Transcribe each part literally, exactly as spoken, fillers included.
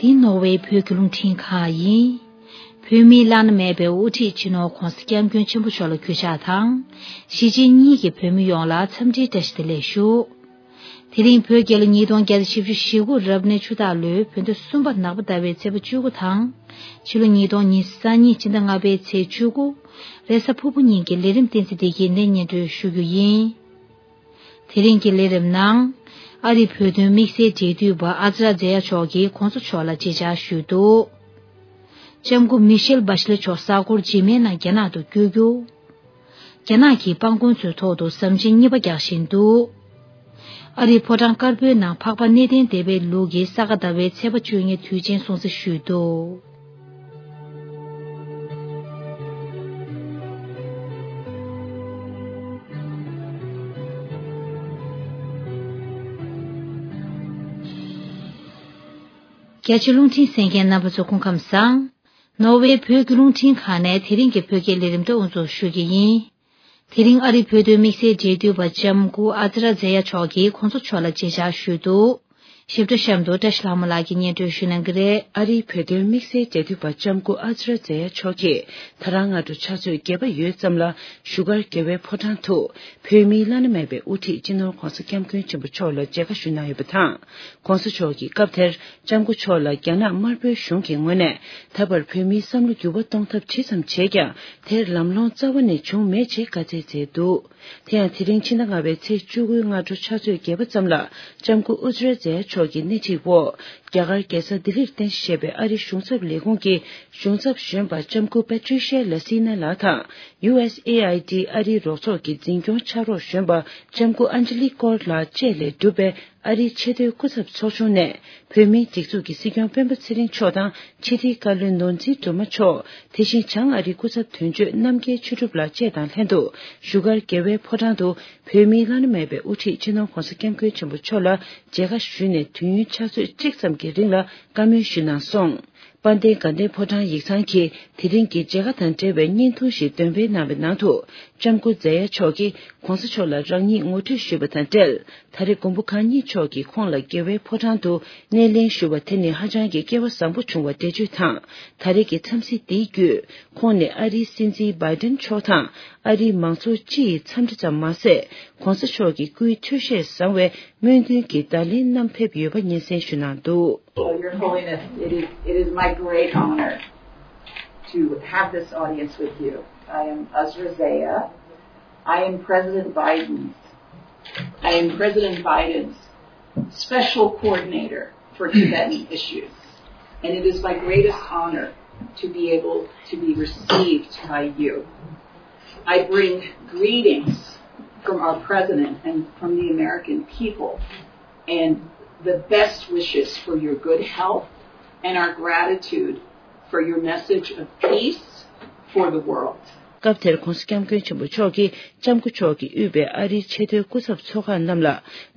འདི་ནོར་ཝེ་བོད་ཀྱི་རླུང་འཕྲིན་ཁང་ཡིན། བོད་མིའི་བླ་ན་མེད་པའི་དབུ་ཁྲིད་སྤྱི་ནོར་༧གོང་ས་༧སྐྱབས་མགོན་ཆེན་པོ་མཆོག་ལ་གུས་ཕྱག་དང་། གཞིས་བྱེས་གཉིས་ཀྱི་བོད་མི་ཡོངས་ལ་འཚམས་འདྲིའི་བཀྲ་ཤིས་བདེ་ལེགས་ཞུ། དེ་རིང་བོད་རྒྱལ་ལོ་ཉིས་སྟོང་བརྒྱ་དང་བཞི་བཅུ་ཞེ་དགུ་རབ་གནས་ཆུ་སྟག་ལོའི་བོད་ཟླ་གསུམ་པ་ནག་པ་ཟླ་བའི་ཚེས་པ་བཅུ་དགུ་དང་། ཕྱི་ལོ་ཉིས་སྟོང་ཉི་ཤུ་རྩ་གཉིས་ཕྱི་ཟླ་ལྔ་པའི་ཚེས་བཅུ་དགུ། རེས་གཟའ་ཕུར་བུ་ཉིན་གྱི་ལས་རིམ་བསྟན་འཛིན་བདེ་སྐྱིད་ནས་སྙན་སྒྲོན་ཞུ་རྒྱུ་ཡིན། དེ་རིང་གི་ལས་རིམ་ནང་། ཨ་རིའི་བོད་དོན་དམིགས་བསལ་འབྲེལ་མཐུད་པ་ཨ་ཛ་ར་ཛེ་ཡ་མཆོག་གིས་༧གོང་ས་མཆོག་ལ་མཇལ་བཅར་ཞུས་འདུག་ལྕམ་སྐུ་མི་ཤེལ་བྷ་ཤ་ལེ་མཆོག་གཟའ་འཁོར་རྗེས་མའི་ནང་རྒྱ་ནག་ཏུ་བསྐྱོད་རྒྱུ། རྒྱ་ནག་གིས་སྤང་གོང་ཚོའི་ཐོག་ཏུ་ཟམ་ཆེན་གཉིས་པ་རྒྱག་བཞིན་འདུག་ཨ་རིའི་ཕོ་བྲང་དཀར་པོའི་ནང་འཕགས་པ་གནས་བརྟན་སྡེ་པའི་ལུགས་ཀྱི་ས་ག་ཟླ་བའི་ཚེས་པ་བཅུ་གཉིས་དུས་ཆེན་སྲུང་བརྩི་ཞུས་འདུག་རྒྱ་ཆེའི་རླུང་འཕྲིན་གསན་མཁན་རྣམ་པ་ཚོ་སྐུ་ཁམས་བཟང་། ནོར་ཝེ་བོད་ཀྱི་རླུང་འཕྲིན་ཁང་ནས་དེ་རིང་གི་བོད་སྐད་ལས་རིམ་དེ་དབུ་འཛུགས་ཞུ་གི་ཡིན། དེ་རིང་ཨ་རིའི་བོད་དོན་དམིགས་བསལ་འབྲེལ་མཐུད་པ་ལྕམ་སྐུ་ཨ་ཛ་ར་ཛེ་ཡ་མཆོག་གིས་གོང་ས་མཆོག་ལ་མཇལ་བཅར་ཞུས་འདུག་ཞིབ་ཕྲ་གཤམ་དུ་བཀྲ་ཤིས་ལྷ་མོ་ལགས་ཀྱིས་སྙན་སྒྲོན་ཞུ་གནང་གི་རེད། ཨ་རིའི་བོད་དོན་དམིགས་བསལ་འབྲེལ་མཐུད་པ་ལྕམ་སྐུ་ཨ་ཛ་ར་ཛེ་ཡ་མཆོག་གིས་ད་རང་སྔ་དྲོ་ཕྱག་ཚོད་བརྒྱད་པ་ཡོལ་ཙམ་ལ་བཞུགས་སྒར་རྒྱལ་བའི་ཕོ་བྲང་དུ་བོད་མིའི་བླ་ན་མེད་པའི་དབུ་ཁྲིད་སྤྱི་ནོར་༧གོང་ས་༧སྐྱབས་མགོན་ཆེན་པོ་མཆོག་ལ་མཇལ་ཁ་ཞུ་གནང་ཡོད་པ་དང་། ༧གོང་ས་མཆོག་གིས་སྐབས་དེར་ལྕམ་སྐུ་མཆོག་ལ་རྒྱ་ནག་དམར་པོའི་གཞུང་གི་ངོས་ནས་ད་བར་བོད་མིའི་བསམ་བློ་འགྱུར་བ་གཏོང་ཐབས་ཇི་ཙམ་བྱས་ཀྱང་དེར་ལམ་ལྷོང་རྩ་བ་ནས་བྱུང་མེད་ཅེས་བཀའ་སྩལ་མཛད་འདུག་དེ་ཡང་དེ་རིང་ཕྱི་ཟླ་ལྔ་པའི་ཚེས་བཅུ་དགུའི་སྔ་དྲོ་ཕྱག་ཚོད་བརྒྱད་པ་ཙམ་ལ་ལྕམ་སྐུ་ཨུ་ཛ་ར་ཛེ་ཡ་མཆོག་གི་སྣེ་ཁྲིད་འོག་རྒྱ་གར་རྒྱལ་ས་ལྡི་ལིར་རྟེན་གཞི་བྱས་པའི་ཨ་རིའི་གཞུང་ཚབ་ལས་ཁུངས་ཀྱི་གཞུང་ཚབ་གཞོན་པ་ལྕམ་སྐུ་པ་ཏྲི་ཤ་ལ་སི་ན་ལགས་དང་། ཡུ་ཨེས་ཨེ་ཨའི་ཌི་ཨ་རིའི་རོགས་ཚོགས་ཀྱི་འཛིན་སྐྱོང་ཕྱག་རོགས་གཞོན་པ་ལྕམ་སྐུ་ཨན་ཇི་ལི་ཀོར་ལགས་བཅས་ལས་གྲུབ་པའི་ཨ་རིའི་ཆེས་མཐོའི་སྐུ་ཚབ་ཚོགས་ཆུང་ནས་བོད་མིའི་སྒྲིག་འཛུགས་ཀྱི་སྲིད་སྐྱོང་སྤེན་པ་ཚེ་རིང་མཆོག་དང་ཕྱི་དྲིལ་བཀའ་བློན་ནོར་འཛིན་སྒྲོལ་མ་མཆོག་དེ་བཞིན་བྱང་ཨ་རིའི་སྐུ་ཚབ་དོན་གཅོད་རྣམ་རྒྱལ་ཆོས་གྲུབ་ལགས་བཅས་དང་ལྷན་དུ་བཞུགས་སྒར་རྒྱལ་བའི་ཕོ་བྲང་དུ་བོད་མིའི་བླ་ན་མེད་པའི་དབུ་ཁྲིད་སྤྱི་ནོར་༧གོང་ས་༧སྐྱབས་མགོན་ཆེན་པོ་མཆོག་ལ་མཇལ་ཁ་ཞུས་ནས་དུས་ཡུན་ཕྱག་ཚོད་གཅིག་ཙམ་གྱི་རིང་ལ་བཀའ་མོལ་ཞུས་གནང་སོང་། དཔལ་ལྡན་དགའ་ལྡན་ཕོ་བྲང་ཡིག་ཚང་གིས་དེ་རིང་གི་མཇལ་ཁ་དང་འབྲེལ་བའི་བརྙན་ཐུང་ཞིག་འདོན་སྤེལ་གནང་བའི་ནང་དུ་ལྕམ་སྐུ་ཛེ་ཡ་མཆོག་གིས་༧གོང་ས་མཆོག་ལ་རང་ཉིད་ངོ་སྤྲོད་ཞུས་པ་དང་འབྲེལ། ད་རེས་མགོན་པོ་གང་ཉིད་མཆོག་གིས་ཁོང་ལ་རྒྱལ་བའི་ཕོ་བྲང་དུ་སྣེ་ལེན་ཞུ་བ་དེ་ནི་ཧ་ཅང་གི་སྐལ་བ་བཟང་པོ་བྱུང་བ་འགྲེལ་བརྗོད་དང་། ད་རེས་ཀྱི་འཚམས་གཟིགས་འདིའི་བརྒྱུད་ཁོང་ནི་ཨ་རིའི་སྲིད་འཛིན་བྷའི་ཏིན་མཆོག་དང་ཨ་རིའི་མང་ཚོགས་སྤྱི་ཡི་འཚམས་འདྲི་ཙམ་མ་ཟད། ༧གོང་ས་མཆོག་གི་སྐུའི་འཕྲོད་བཞེས་བཟང་བའི་སྨོན་འདུན་གྱི་བརྡ་ལན་བསྣམས་ཕེབས་ཡོད་པ་སྙན་སེང་ཞུ་གནང་འདུག Well, Your Holiness, it is, it is my great honor to have this audience with you. I am Azra Zeya. I am President Biden's, I am President Biden's special coordinator for Tibetan issues, and it is my greatest honor to be able to be received by you. I bring greetings from our president and from the American people, and the best wishes for your good health and our gratitude for your message of peace for the world. སྐབས་དེར་༧གོང་ས་༧སྐྱབས་མགོན་ཆེན་པོ་མཆོག་གིས་ལྕམ་སྐུ་མཆོག་གིས་དབུས་པའི་ཨ་རིའི་ཆེས་མཐོའི་སྐུ་ཚབ་ཚོགས་ཁག་རྣམས་ལ་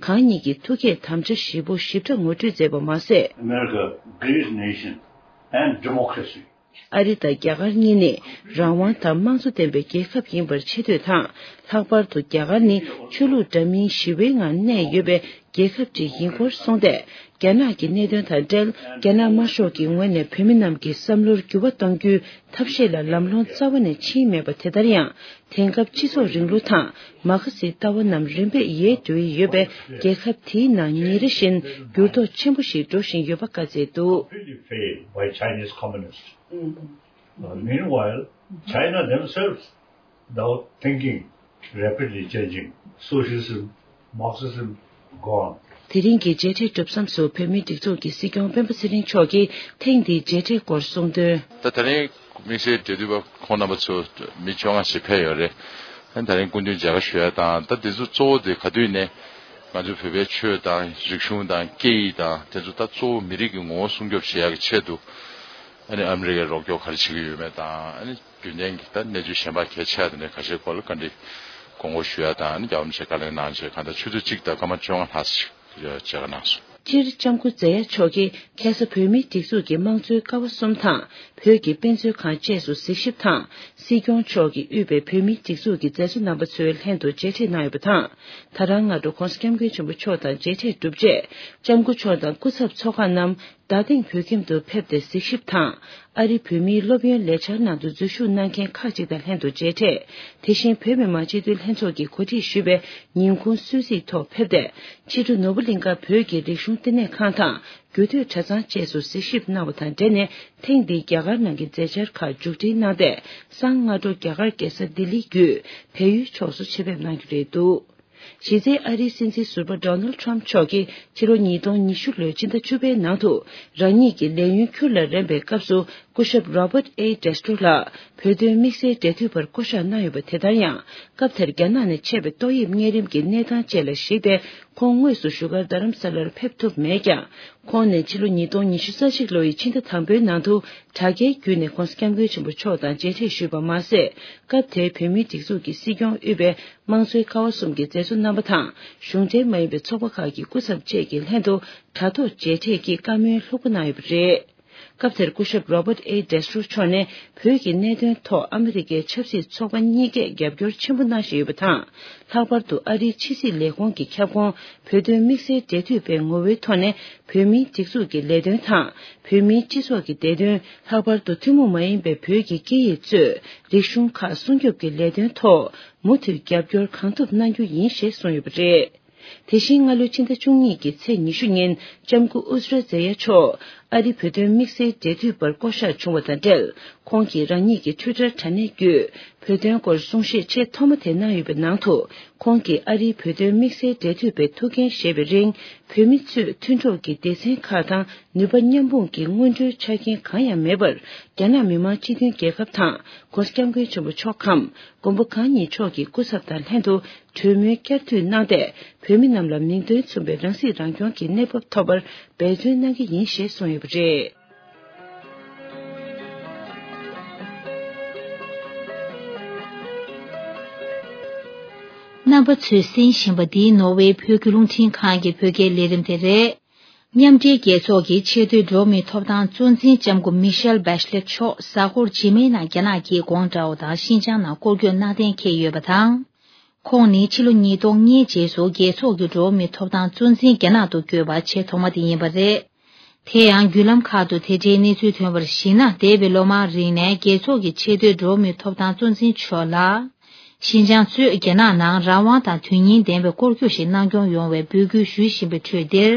གང་ཉིད་ཀྱི་ཐུགས་བསྐྱེད་དམ་བཅའ་བཞི་པོ་ཞིབ་ཕྲ་ངོ་སྤྲོད་མཛད་པ་མ་ཟད། America, great nation and democracy. ཨ་རི་དང་རྒྱ་གར་གཉིས་ནི་རང་དབང་དང་དམངས་གཙོ་ལྡན་པའི་རྒྱལ་ཁབ་ཡིན་པར་ཆེ་བསྟོད་དང་། ལྷག་པར་དུ་རྒྱ་གར་ནི་ཆོས་ལུགས་འདྲ་མིན་ཞི་བའི་ངང་གནས་ཡོད་པའི་རྒྱལ་ཁབ་ཅིག་ཡིན་སྐོར་གསུངས་ཏེ། རྒྱ་ནག་གི་གནད་དོན་དང་འབྲེལ་རྒྱ་ནག་དམར་ཤོག་གི་ངོས་ནས་བོད་མི་རྣམས་ཀྱི་བསམ་བློར་འགྱུར་བ་གཏོང་རྒྱུའི་ཐབས་ཤེས་ལ་ལམ་ལྷོང་རྩ་བ་ནས་ཕྱིན་མེད་པ་དེ་ལྟར་ཡང་དེང་སྐབས་སྤྱི་ཚོགས་རིང་ལུགས་དང་མ་ཁ་སིའི་ལྟ་བ་རྣམས་རིམ་པས་ཡལ་འགྲོ་ཡི་ཡོད་པས་རྒྱལ་ཁབ་དེའི་ནང་ཉིན་རེ་བཞིན་འགྱུར་ལྡོག་ཆེན་པོ་ཞིག་འགྲོ་བཞིན་ཡོད་པ་བཀའ་སྩལ་འདུག Completely failed by Chinese communists. Uh, meanwhile, China themselves, without thinking, rapidly changing. Socialism, Marxism, gone. དེ་རིང་གི་མཇལ་འཕྲད་གྲུབ་མཚམས་སུ་བོད་མིའི་སྒྲིག་འཛུགས་ཀྱི་སྲིད་སྐྱོང་སྤེན་པ་ཚེ་རིང་མཆོག་གིས་ཐེངས་འདིའི་མཇལ་འཕྲད་སྐོར་གསུངས་དོན། ད་དེ་རིང་དམིགས་བསལ་འབྲེལ་མཐུད་པ་ཁོང་རྣམ་པ་ཚོ་མི་བཅོ་ལྔ་ཞིག་ཕེབས་ཡོད་རེད། ཨ་ནི་དེ་རིང་སྐུ་མདུན་མཇལ་ཁ་ཞུ་ཡ་དང་ད་དེ་ཚོ་གཙོ་བོ་དེ་ག་དུས་ནས་ང་ཚོ་བོད་པའི་ཆོས་དང་རིག་གཞུང་དང་སྐད་ཡིག་དང་དེ་ཚོ་ད་གཙོ་བོ་མི་རིགས་ཀྱི་ངོ་བོ་སྲུང་སྐྱོབ་བྱེད་ཡ་གི་ཆེད་དུ་ཨ་ནི་ཨ་མི་རི་ཀས་རོགས་སྐྱོར་ག་རེ་བྱེད་ཀྱི་ཡོད་མེད་དང་ཨ་ནི། རྒྱུན་ལྡན་གྱི་ད་གནས་ཚུལ་གཞན་པ་གལ་ཆེ་བ་དེ་འདྲའི་ཁ་ཤས་སྐོར་ལ་བཀའ་འདྲི་དགོངས་སྐོར་ཞུ་ཡ་དང་ཨ་ནི་རྒྱལ་བ་རིན་པོ་ཆེ་བཀའ་ལན་གནང་བྱས་གང་ལྟར་ཆུ་ཚོད་གཅིག་དང་སྐར་མ་བཅོ་ལྔ་ལྷག་ཞིག་མཇལ་ཁ་གནང་སོང་། སྤྱིར་ལྕམ་སྐུ་ཛེ་ཡ་མཆོག་གིས་ཁ་སང་བོད་མིའི་སྒྲིག་འཛུགས་ཀྱི་དམངས་གཙོའི་ཀ་བ་གསུམ་དང་བོད་ཀྱི་དཔེ་མཛོད་ཁང་བཅས་སུ་གཟིགས་ཞིབ་དང་སྲིད་སྐྱོང་མཆོག་གིས་དབུས་པའི་བོད་མིའི་སྒྲིག་འཛུགས་ཀྱི་མཛད་གཙོ་རྣམ་པ་ཚོའི་ལྷན་དུ་མཇལ་འཕྲད་གནང་ཡོད་པ་དང་། ད་རང་སྔ་དྲོ་༧གོང་ས་༧སྐྱབས་མགོན་ཆེན་པོ་མཆོག་དང་མཇལ་འཕྲད་གྲུབ་རྗེས་ལྕམ་སྐུ་མཆོག་དང་སྐུ་ཚབ་ཚོགས་ཁག་རྣམས། རྡ་སྟེང་བོད་ཁྱིམ་དུ་ཕེབས་ཏེ་གཟིགས་ཞིབ་དང་། ཨ་རིའི་བོད་མིའི་སློབ་ཡོན་ལས་འཆར་ནང་དུ་འཛུལ་ཞུགས་གནང་མཁན་ཁག་ཅིག་དང་ལྷན་དུ་མཇལ་འཕྲད། དེ་བཞིན་བོད་མི་མང་སྤྱི་འཐུས་ལྷན་ཚོགས་ཀྱིས་གོ་སྒྲིག་ཞུས་པའི་ཉིན་གུང་གསོལ་ཚིགས་ཐོག་ཕེབས་ཏེ། ཕྱི་དྲོ་ནོར་བུ་གླིང་ཁ་བོད་ཀྱི་རིག་གཞུང་བསྟི་གནས་ཁང་དང་རྒྱུད་སྟོད་གྲྭ་ཚང་བཅས་སུ་གཟིགས་ཞིབ་གནང་བ་དང་འབྲེལ་ནས། ཐེངས་འདིའི་རྒྱ་གར་ནང་གི་མཛད་འཆར་ཁག་མཇུག་སྒྲིལ་གནང་སྟེ། སང་སྔ་དྲོ་རྒྱ་གར་རྒྱལ་ས་ལྡི་ལི་བརྒྱུད་བལ་ཡུལ་ཕྱོགས་སུ་ཆེད་ཕེབས་གནང་རྒྱུ་རེད་འདུག་གཞི་རྩའི་ཨ་རིའི་སྲིད་འཛིན་ཟུར་པ་Donald Trump་མཆོག་གིས་ཕྱི་ལོ་ཉིས་སྟོང་ཉི་ཤུ་ལོའི་ཕྱི་ཟླ་བཅུ་པའི་ནང་དུ་རང་ཉིད་ཀྱི་ལས་ཡུན་ཁྱུར་ལ་རན་པའི་སྐབས་སུ། སྐུ་ཞབས་Robert A Destro་ལགས་བོད་དོན་དམིགས་བསལ་འབྲེལ་མཐུད་པར་བསྐོ་གཞག་གནང་ཡོད་པ། དེ་ལྟར་ཡང་། སྐབས་དེར་རྒྱ་ནག་ནས་ཆད་པའི་ཏོག་དབྱིབས་གཉན་རིམས་ཀྱི་གནས་སྟངས་བཅས་ལ་གཞིགས་ཏེ། ཁོང་དངོས་སུ་བཞུགས་སྒར་རྡ་རམ་ས་ལར་ཕེབས་ཐུབ་མེད་ཀྱང་། ཁོང་ནས་ཕྱི་ལོ་ཉིས་སྟོང་ཉི་ཤུ་རྩ་གཅིག་ལོ་ཡི་ཕྱི་ཟླ་དང་པོའི་ནང་དུ་དྲ་རྒྱའི་བརྒྱུད་ནས་༧གོང་ས་༧སྐྱབས་མགོན་ཆེན་པོ་མཆོག་དང་མཇལ་འཕྲད་ཞུས་པ་མ་ཟད། སྐབས་དེའི་བོད་མིའི་སྒྲིག་འཛུགས་ཀྱི་སྲིད་སྐྱོང་དབུས་པའི་དམངས་གཙོའི་ཀ་བ་གསུམ་གྱི་མཛད་གཙོ་རྣམ་པ་དང་། གཞུང་འབྲེལ་མ་ཡིན་པའི་ཚོགས་པ་ཁག་གི་སྐུ་ཚབ་བཅས་ཀྱི་ལྷན་དུ་དྲ་ཐོག་མཇལ་འཕྲད་ཀྱིས་བཀའ་མོལ་ལྷུག་པོ་གནང་ཡོད་པ་རེད། སྐབས་དེར་སྐུ་ཞབས་Robert A Destro་མཆོག་ནས་བོད་ཀྱི་གནད་དོན་ཐོག་ཨ་མི་རི་ཀའི་ཆབ་སྲིད་ཚོགས་པ་གཉིས་ཀས་རྒྱབ་སྐྱོར་ཆེན་པོ་གནང་བཞིན་ཡོད་པ་དང་། ལྷག་པར་དུ་ཨ་རིའི་ཕྱི་སྲིད་ལས་ཁུངས་ཀྱི་ཁྱབ་ཁོངས་བོད་དོན་དམིགས་བསལ་འབྲེལ་མཐུད་པའི་ངོ་བོའི་ཐོག་ནས་བོད་མིའི་སྒྲིག་འཛུགས་ཀྱི་ལས་དོན་དང་། བོད་མིའི་སྤྱི་ཚོགས་ཀྱི་བདེ་དོན། ལྷག་པར་དུ་ཐུན་མོང་མ་ཡིན་པའི་བོད་ཀྱི་སྐད་ཡིག་གཙོས་རིག་གཞུང་ཁག་སྲུང་སྐྱོབ་ཀྱི་ལས་དོན་ཐོག་མུ་མཐུད་རྒྱབ་སྐྱོར་གང་ཐུབ་གནང་རྒྱུ་ཡིན་ཞེས་གསུངས་ཡོད་པ་རེད། དེ་བཞིན་སྔ་ལོའི་ཕྱི་ཟླ་བཅུ་གཉིས་ཀྱི་ཚེས་ཉི་ཤུ་ཉིན་ལྕམ་སྐུ་ཨུ་ཛ་ར་ཛེ་ཡ་མཆོག་ཨ་རི་བོད་དོན་དམིགས་བསལ་འབྲེལ་མཐུད་པར་བསྐོ་གཞག་བྱུང་བ་དང་འབྲེལ། ཁོང་གིས་རང་ཉིད་ཀྱི་ཊུའི་ཊར་དྲ་གནས་བརྒྱུད་བོད་དོན་སྐོར་གསུང་བཤད་ཆེས་ཐོག་མ་དེ་གནང་ཡོད་པའི་ནང་དུ། ཁོང་གིས་ཨ་རིའི་བོད་དོན་དམིགས་བསལ་འབྲེལ་མཐུད་པའི་ཐུགས་འགན་བཞེས་པའི་རིང་། བོད་མི་ཚོས་མཐུན་གྲོགས་ཀྱི་སྡེ་ཚན་ཁག་དང་ནུས་པ་མཉམ་སྤུངས་ཀྱི་སྔོན་འགྲོའི་ཆ་རྐྱེན་གང་ཡང་མེད་པར། རྒྱ་ནག་མི་དམངས་སྤྱི་མཐུན་རྒྱལ་ཁབ་དང་༧གོང་ས་༧སྐྱབས་མགོན་ཆེན་པོ་མཆོག་གམ་མགོན་པོ་གང་ཉིད་མཆོག་གི་སྐུ་ཚབ་དང་ལྷན་དུ། གྲོས་མོལ་བསྐྱར་མཐུད་གནང་སྟེ། བོད་མི་རྣམས་ལ་མིང་དོན་མཚུངས་པའི་རང་སྲིད་རང་སྐྱོང་གི་གནས་བབ་ཐོབ་པར་འབད་བརྩོན་གནང་གི་ཡིན་ཞེས་གསུངས་ཡོད་པ་རེད། རྣམ་པ་ཚོས་གསན་བཞིན་པ་འདི་ནོར་ཝེ་བོད་ཀྱི་རླུང་འཕྲིན་ཁང་གི་བོད་སྐད་ལས་རིམ་དེ་རེད། མཉམ་འབྲེལ་རྒྱལ་ཚོགས་ཀྱི་ཆེས་མཐོའི་འགྲོ་བ་མིའི་ཐོབ་ཐང་གཙོ་འཛིན་ལྕམ་སྐུ་མི་ཤེལ་བྷེ་ཤ་ལེ་མཆོག་གཟའ་འཁོར་རྗེས་མའི་ནང་རྒྱ་ནག་གི་གོང་ཀྲའོ་དང་ཤིན་ཅང་ནང་སྐོར་སྐྱོད་གནང་གཏན་འཁེལ་ཡོད་པ་དང་། ཁོང་ནི་ཕྱི་ལོ་ཉིས་སྟོང་ལྔའི་རྗེས་སུ་རྒྱལ་ཚོགས་ཀྱི་འགྲོ་བ་མིའི་ཐོབ་ཐང་གཙོ་འཛིན་རྒྱ་ནག་ཏུ་བསྐོས་པ་ཆེས་ཐོག་མ་དེ་ཡིན་པ་རེད། དེ་ཡང་བརྒྱུད་ལམ་ཁག་ཏུ་དེ་འབྲེལ་གནས་ཚུལ་ཐོན་པར་གཞིགས་ན། འདས་པའི་ལོ་མང་རིང་ནས་རྒྱལ་ཚོགས་ཀྱི་ཆེས་མཐོའི་འགྲོ་བ་མིའི་ཐོབ་ཐང་གཙོ་འཛིན་མཆོག་ལ། ཤིན་ཅང་གཙོས་རྒྱ་ནག་ནང་རང་དབང་དང་དོན་སྙིང་ལྡན་པའི་སྐོར་སྐྱོད་ཞིག་གནང་སྐྱོང་ཡོང་བའི་འབོད་སྐུལ་ཞུ་བཞིན་པའི་ཁྲོད་འདིར།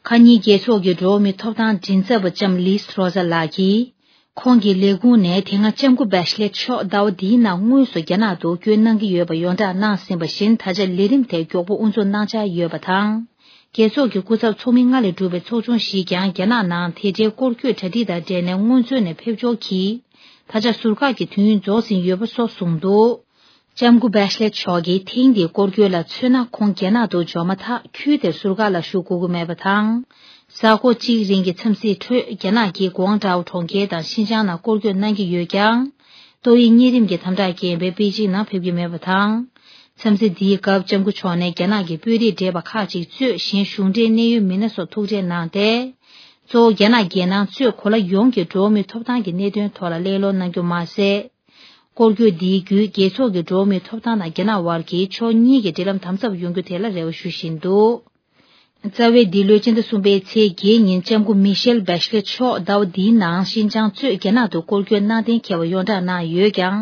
ཁ་ཉིན་རྒྱལ་ཚོགས་ཀྱི་འགྲོ་བ་མིའི་ཐོབ་ཐང་མགྲིན་ཚབ་པ་ལྕམ་ལིས་རོ་ཟ་ལགས་ཀྱིས། ཁོང་གི་ལས་ཁུངས་ནས་དེ་སྔ་ལྕམ་སྐུ་བྷེ་ཤ་ལེ་མཆོག་ཟླ་བ་འདིའི་ནང་དངོས་སུ་རྒྱ་ནག་ཏུ་བསྐྱོད་གནང་གི་ཡོད་པ་ཡོངས་བསྒྲགས་གནང་ཟིན་པ་བཞིན། ད་ཆ་ལས་རིམ་དེ་མགྱོགས་པོ་དབུ་འཛུགས་གནང་འཆར་ཡོད་པ་དང་། རྒྱལ་ཚོགས་ཀྱི་སྐུ་ཚབ་ཚོགས་མི་ལྔ་ལས་གྲུབ་པའི་ཚོགས་ཆུང་ཞིག་ཀྱང་རྒྱ་ནག་ནང་དེ་འབྲེལ་སྐོར་སྐྱོད་གྲ་སྒྲིག་དང་འབྲེལ་ནས་སྔོན་ཚུད་ནས་ཕེབས་འབྱོར་གྱིས། ད་ཆ་ཟུར་བཀག་གི་དུས་ཡུན་རྫོགས་ཟིན་ཡོད་པ་སོགས་གསུངས་འདུག་ལྕམ་སྐུ་བྷེ་ཤ་ལེ་མཆོག་གིས་ཐེངས་འདིའི་སྐོར་སྐྱོད་ལ་མཚོན་ན། ཁོང་རྒྱ་ནག་ཏུ་འབྱོར་མ་ཐག་ཁུལ་དེར་ཟུར་བཀག་ལ་བཞུགས་དགོས་ཀྱི་མེད་པ་དང་། གཟའ་འཁོར་གཅིག་རིང་གི་འཚམས་གཟིགས་ཁྲོད། རྒྱ་ནག་གི་ཀོང་ཀྲའོ་གྲོང་ཁྱེར་དང་ཤིན་ཅང་ནང་སྐོར་སྐྱོད་གནང་གི་ཡོད་ཀྱང་། ཏོག་དབྱིབས་གཉན་རིམས་ཀྱི་དམ་དྲག་རྐྱེན་པས་པེ་ཅིང་ནང་ཕེབས་ཀྱི་མེད་པ་དང་། འཚམས་གཟིགས་འདིའི་སྐབས་ལྕམ་སྐུ་མཆོག་ནས་རྒྱ་ནག་གི་དཔོན་རིགས་བགྲེས་པ་ཁག་ཅིག་གཙོས་གཞན་གཞུང་འབྲེལ་གནད་ཡོད་མི་སྣ་སོགས་ཐུག་འཕྲད་གནང་སྟེ། གཙོ་བོ་རྒྱ་ནག་རྒྱལ་ནང་གཙོས་གོ་ལ་ཡོངས་ཀྱི་འགྲོ་བ་མིའི་ཐོབ་ཐང་གི་གནད་དོན་ཐོག་ལ་གླེང་སློང་གནང་རྒྱུ་མ་ཟད། སྐོར་སྐྱོད་འདིའི་བརྒྱུད་རྒྱལ་ཚོགས་ཀྱི་འགྲོ་བ་མིའི་ཐོབ་ཐང་དང་རྒྱ་ནག་དབར་གྱི་ཕྱོགས་གཉིས་ཀྱི་འབྲེལ་ལམ་དམ་ཟབ་ཡོང་རྒྱུ་དེ་ལ་རེ་བ་ཞུ་བཞིན་འདུག་རྩ་བའི་འདི་ལོའི་སྤྱི་ཟླ་གསུམ་པའི་ཚེས་བརྒྱད་ཉིན་ལྕམ་སྐུ་མི་ཤེལ་བྷེ་ཤ་ལེ་མཆོག་ཟླ་བ་འདིའི་ནང་ཤིན་ཅང་གཙོས་རྒྱ་ནག་ཏུ་སྐོར་སྐྱོད་གནང་གཏན་འཁེལ་བ་ཡོངས་བསྒྲགས་གནང་ཡོད་ཀྱང་།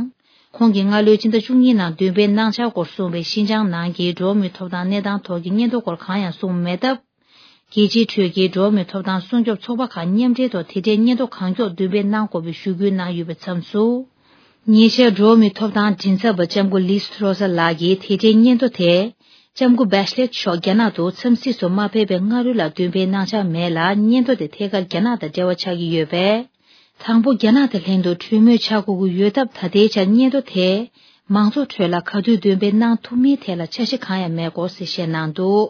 ཁོང་གིས་སྔ་ལོའི་ཕྱི་ཟླ་བཅུ་གཉིས་ནང་འདོན་སྤེལ་གནང་འཆར་སྐོར་གསུངས་པའི་ཤིན་ཅང་ནང་གི་འགྲོ་བ་མིའི་ཐོབ་ཐང་གནས་སྟངས་ཐོག་གི་སྙན་ཐོ་སྐོར་གང་ཡང་གསུངས་མེད་སྟབས། རྒྱལ་སྤྱིའི་ཁྲོད་ཀྱི་འགྲོ་བ་མིའི་ཐོབ་ཐང་སྲུང་སྐྱོབ་ཚོགས་པ་ཁག་མཉམ་འབྲེལ་ཐོག་དེ་འབྲེལ་སྙན་ཐོ་གང་མགྱོགས་འདོན་སྤེལ་གནང་དགོས་པའི་ཞུ་སྐུལ་གནང་ཡོད་པའི་མཚམས་སུ། ཉེ་ཆར་འགྲོ་བ་མིའི་ཐོབ་ཐང་མགྲིན་ཚབ་པ་ལྕམ་སྐུ་ལིས་རོ་ས་ལགས་ཀྱིས་དེ་འབྲེལ་སྙན་ཐོ་དེ། ལྕམ་སྐུ་བྷེ་ཤ་ལེ་མཆོག་རྒྱ་ནག་ཏུ་འཚམས་གཟིགས་སུ་མ་ཕེབས་པའི་སྔ་རོལ་ལ་འདོན་སྤེལ་གནང་འཆར་མེད་ལ། སྙན་ཐོ་དེ་ཐད་ཀར་རྒྱ་ནག་དང་འབྲེལ་བ་ཆགས་ཀྱི་ཡོད་པས། དང་པོ་རྒྱ་ནག་དང་ལྷན་དུ་གྲོས་མོལ་བྱ་དགོས་ཀྱི་ཡོད་སྟབས། ད་ལྟའི་ཆར་སྙན་ཐོ་དེ་མང་ཚོགས་ཁྲོད་ལ་ག་དུས་འདོན་སྤེལ་གནང་ཐུབ་མིན་ཐད་ལ་འཆར་གཞི་གང་ཡང་མེད་སྐོར་གསལ་བཤད་གནང་འདུག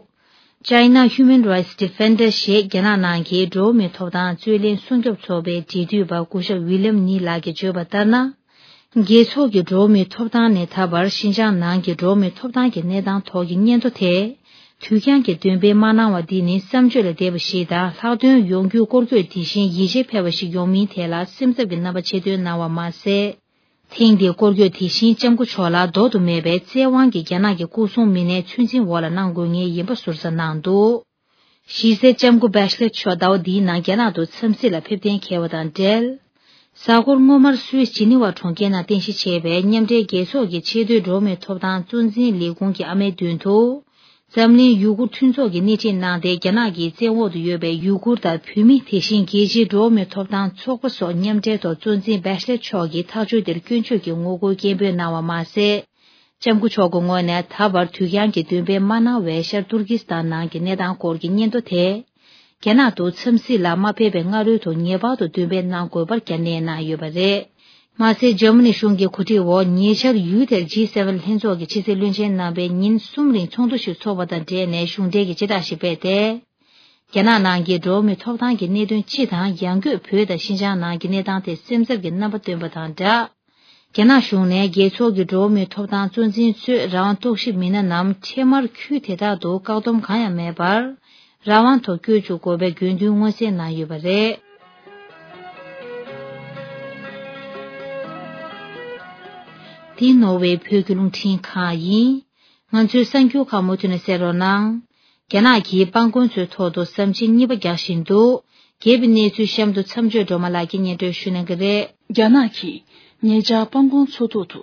China Human Rights Defender ཞེས་རྒྱ་ནག་ནང་གི་འགྲོ་བ་མིའི་ཐོབ་ཐང་རྩོད་ལེན་སྲུང་སྐྱོབ་ཚོགས་པའི་འབྲེལ་མཐུད་པ་སྐུ་ཞབས་ཝི་ལིམ་ནི་ལགས་ཀྱིས་བརྗོད་པ་ལྟར་ན། རྒྱལ་ཚོགས་ཀྱི་འགྲོ་བ་མིའི་ཐོབ་ཐང་ནས་ད་བར་ཤིན་ཅང་ནང་གི་འགྲོ་བ་མིའི་ཐོབ་ཐང་གི་གནས་སྟངས་ཐོག་གི་སྙན་ཐོ་དེ། དུས་འགྱངས་ཀྱིས་འདོན་སྤེལ་མ་གནང་བ་འདི་ནི་བསམ་བརྗོད་ལས་འདས་པ་ཞིག་དང་། ལྷག་དོན་ཡོང་རྒྱུའི་སྐོར་སྐྱོད་དེ་བཞིན་ཡིད་ཆེས་འཕེར་བ་ཞིག་ཡོང་མིན་ཐད་ལ་སེམས་འཚབ་ཀྱི་རྣམ་པ་ཆེ་བཏོན་གནང་བ་མ་ཟད། ཐེངས་འདིའི་སྐོར་སྐྱོད་དེ་བཞིན་ལྕམ་སྐུ་མཆོག་ལ་ལྡོག་ཏུ་མེད་པའི་བཙན་དབང་གིས་རྒྱ་ནག་གི་སྐུ་སྲུང་མི་སྣའི་ཚོད་འཛིན་འོག་ལ་གནང་དགོས་ངེས་ཡིན་པ་ཟུར་ཟ་གནང་འདུག་གཞི་རྩའི་ལྕམ་སྐུ་བྷེ་ཤ་ལེ་མཆོག་ཟླ་བ་འདིའི་ནང་རྒྱ་ནག་ཏུ་འཚམས་གཟིགས་ལ་ཕེབས་གཏན་འཁེལ་བ་དང་འབྲེལ། གཟའ་འཁོར་སྔོན་མར་སུད་སི་ཇི་ནི་ཝ་གྲོང་ཁྱེར་ནང་རྟེན་གཞི་བྱས་པའི་མཉམ་འབྲེལ་རྒྱལ་ཚོགས་ཀྱི་ཆེས་མཐོའི་འགྲོ་བ་མིའི་ཐོབ་ཐང་གཙོ་འཛིན་ལས་ཁུངས་ཀྱི་ཨ་མའི་མདུན་དུ། འཛམ་གླིང་ཡུ་གུར་མཐུན་ཚོགས་ཀྱིས་སྣེ་ཁྲིད་གནང་སྟེ། རྒྱ་ནག་གི་བཙན་འོག་ཏུ་ཡོད་པའི་ཡུ་གུར་དང་བོད་མི། དེ་བཞིན་རྒྱལ་སྤྱིའི་འགྲོ་བ་མིའི་ཐོབ་ཐང་ཚོགས་པ་སོགས་མཉམ་འབྲེལ་ཐོག་གཙོ་འཛིན་བྷེ་ཤ་ལེ་མཆོག་གིས་ཐག་གཅོད་དེར་སྐྱོན་བརྗོད་ཀྱི་ངོ་རྒོལ་སྐད་འབོད་གནང་བ་མ་ཟད། ལྕམ་སྐུ་མཆོག་གི་ངོས་ནས་ད་བར་དུས་འགྱངས་ཀྱི་འདུན་པས་མ་གནང་བའི་ཤར་ཏུར་ཀི་སི་ཐན་ནང་གི་གནས་སྟངས་སྐོར་གྱི་སྙན་ཐོ་དེ། རྒྱ་ནག་ཏུ་འཚམས་གཟིགས་ལ་མ་ཕེབས་པའི་སྔ་རོལ་དུ་ངེས་པར་དུ་འདུན་པས་གནང་དགོས་པར་བསྐྱར་ནན་གནང་ཡོད་པ་རེད། མ་ཟད། འཇར་མ་ནི་གཞུང་གི་གོ་སྒྲིག་འོག་ཉེ་ཆར་ཡུལ་དེར་ཇི་སེ་ཝེན་ལྷན་ཚོགས་ཀྱི་ཕྱི་སྲིད་བློན་ཆེན་རྣམ་པས་ཉིན་གསུམ་རིང་ཚོགས་འདུ་ཞིག་འཚོགས་པ་དང་འབྲེལ་ནས་གཞུང་འབྲེལ་གྱི་སྤྱི་བསྒྲགས་ཤིག་སྤེལ་ཏེ། རྒྱ་ནག་ནང་གི་འགྲོ་བ་མིའི་ཐོབ་ཐང་གི་གནད་དོན་སྤྱི་དང་། ཡང་སྒོས་བོད་དང་ཤིན་ཅང་ནང་གི་གནས་སྟངས་ཐད་སེམས་འཚབ་ཀྱི་རྣམ་པ་བཏོན་པ་དང་སྦྲགས། རྒྱ་ནག་གཞུང་ནས་རྒྱལ་ཚོགས་ཀྱི་འགྲོ་བ་མིའི་ཐོབ་ཐང་གཙོ་འཛིན་ཚོས་རང་དབང་རྟོག་ཞིབ་མི་སྣ་རྣམས་འཕྲལ་མར་ཁུལ་དེ་དག་ཏུ་བཀག་སྡོམ་གང་ཡང་མེད་པར། རང་དབང་ཐོག་བསྐྱོད་བཅུག་དགོས་པའི་དགོས་འདུན་མངོན་གསལ་གནང་ཡོད་པ་རེད། འདི་ནོར་ཝེ་བོད་ཀྱི་རླུང་འཕྲིན་ཁང་ཡིན། ང་ཚོའི་གསར་འགྱུར་ཁག་མུ་མཐུད་ནས་གསན་རོགས་གནང་། རྒྱ་ནག་གིས་སྤང་གོང་མཚོའི་ཐོག་ཏུ་ཟམ་ཆེན་གཉིས་པ་རྒྱག་བཞིན་འདུག། རྒྱས་པའི་གནས་ཚུལ་གཤམ་དུ་མཚམས་གཅོད་སྒྲོལ་མ་ལགས་ཀྱིས་སྙན་སྒྲོན་ཞུ་གནང་གི་རེད། རྒྱ་ནག་གིས་ཉེ་ཆར་སྤང་གོང་མཚོ་ཐོག་ཏུ་